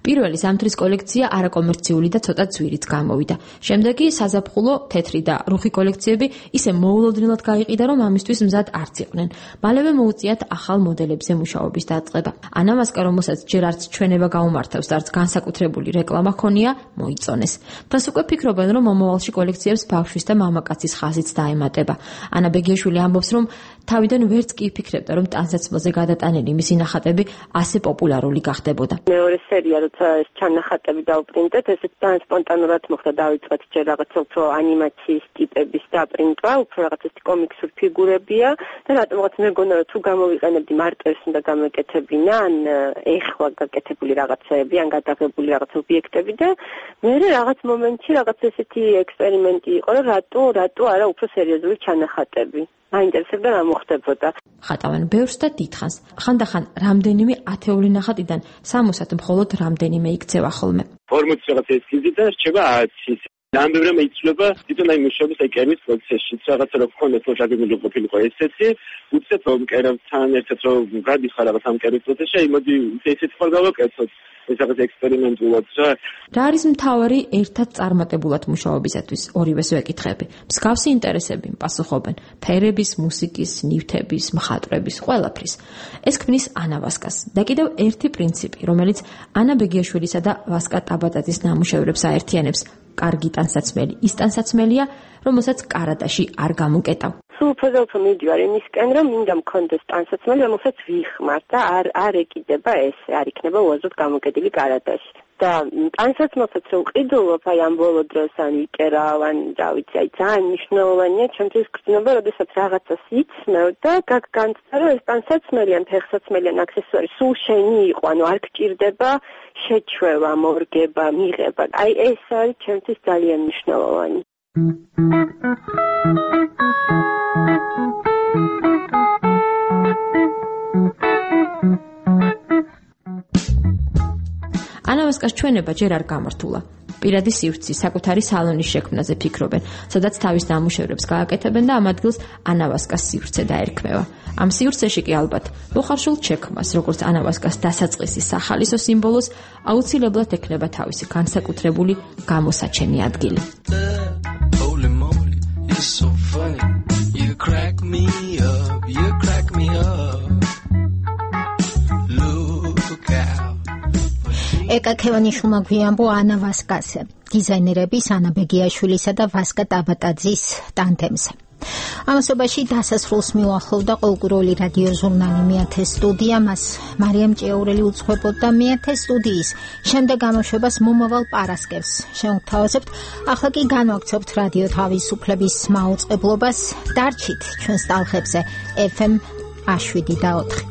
პირველი ზამთრის კოლექცია არაკომერციული და ცოტა ძვირით გამოვიდა. შემდეგ კი საზაფხულო, თეთრი და რუხი კოლექციები ისე მოულოდნელად გაიყიდა, რომ ამისთვის მზად არც იყვნენ. მალევე მოუწიათ ახალ მოდელებზე მუშაობის დაწყება. ანა ვასკა, რომელსაც ჯერ არც ჩვენება გაუმართავს და არც განსაკუთრებული რეკლამა ჰქონია, მოიწონეს. მას უკვე ფიქრობენ, რომ მომავალში კოლექციებს ბავშვის და მამაკაცის ხაზიც დაემატება. ანა ბეგიაშვილი ამბობს, რომ თავიდან ვერც კი იფიქრებდა, რომ ტანსაცმელზე გადატანილი მისი ნახატები ასე პოპულარული გახდებოდა. მეორე სერია, როცა ეს ჩანახატები დავპრინტეთ, ესეც ძალიან სპონტანურად მოხდა, დავიწყეთ ჯერ რაღაცა უფრო ანიმაციის ტიპების დაპრინტვა, უფრო რაღაც ეს კომიქსური ფიგურებია და რატომღაც მეგონა რომ თუ გამოვიყენებდი მარტო ეს უნდა გამეკეთებინა, ან ეხლა გაკეთებული რაღაცები, ან გადაღებული რაღაც ობიექტები და მე რაღაც მომენტში რაღაც ესეთი ექსპერიმენტი იყო, რომ რატო არა უფრო სერიოზული ჩანახატები. მაინტერესებდა რა მოხდებოდა. ხატავენ ბევრს და დიდხანს. ხანდახან რამდენიმე ათეული ნახატიდან 60-ად მხოლოდ რამდენიმე იქცევა ხოლმე. 40 რაღაც ესკიზი და რჩება 10. ნამდვილად იცვლება თვითონ აი მუშაობის აი კერვის პროცესში. რაღაცა რო გქონდეს რომ შეგიძლია ყოფილიყო ესეთი, უცებ რომ კერავთან ერთად რომ გადიხარ რაღაც ამ კერვის პროცესში, აი მოდი ესეთი ხარ გავაკეთოთ. ეს რაღაც ექსპერიმენტულად რა. რა არის მთავარი ერთად წარმატებულად მუშაობისათვის? ორივეს ვეკითხები. მსგავსი ინტერესები პასუხობენ ფერების, მუსიკის, ნივთების, მხატვრების, ყველაფრის. ეს ქმნის ანა ვასკას. და კიდევ ერთი პრინციპი, რომელიც ანა ბეგიაშვილისა და ვასკა ტაბატაძის ნამუშევრებს აერთიანებს. კარგი ტანსაცმელი ის ტანსაცმელია, რომელსაც კარადაში არ გამოკეტავ. უფრო მიდივარ იმისკენ, რომ მინდა მქონდეს ტანსაცმელი, რომელსაც ვიხმარ და არ ეკიდება ესე, არ იქნება უაზროდ გამოკეტილი კარადაში. და ტანსაცმელსაც რომ ყიდულობ აი ამ ბოლო დროს ან იკერავ, ან რა ვიცი, აი ძალიან მნიშვნელოვანია ჩემთვის გრძნობა, როდესაც რაღაცას იცნევ და განცდა რომ ეს ტანსაცმელი ან ფეხსაცმელი ან აქსესუარი სულ შენი იყო, ანუ არ გჭირდება შეჩვევა, მორგება, მიღება. აი ეს არის ჩემთვის ძალიან მნიშვნელოვანი. ანა ვასკას ჩვენება ჯერ არ გამართულა. პირადი სივრცის, საკუთარი სალონის შექმნაზე ფიქრობენ, სადაც თავის ნამუშევრებს გააკეთებენ და ამ ადგილს ანავასკას სივრცე დაერქმევა. ამ სივრცეში კი ალბათ მოხარშულ ჩექმას, როგორც ანავასკას დასაწყისის სახალისო სიმბოლოს, აუცილებლად ექნება თავისი განსაკუთრებული გამოსაჩენი ადგილი. So funny, you crack me up, you crack me up. Look out. ეკა ქევანიშვილმა გვიამბო ანავასკაზე, დიზაინერების ანა ბეგიაშვილისა და ვასკა ტაბატაძის ტანდემზე. ამასობაში დასასრულს მიუახლოვდა ყოველკვირეული რადიო ჟურნალი მეათე სტუდია, მას მარიამ ჭიაურელი უძღვებოდა მეათე სტუდიის შემდეგ გამოშვებას მომავალ პარასკევს. შევთავაზებთ, ახლა კი განვაგრძობთ რადიო თავისუფლების მაუწყებლობას, დარჩით ჩვენს ტალღებზე FM 7 და 4.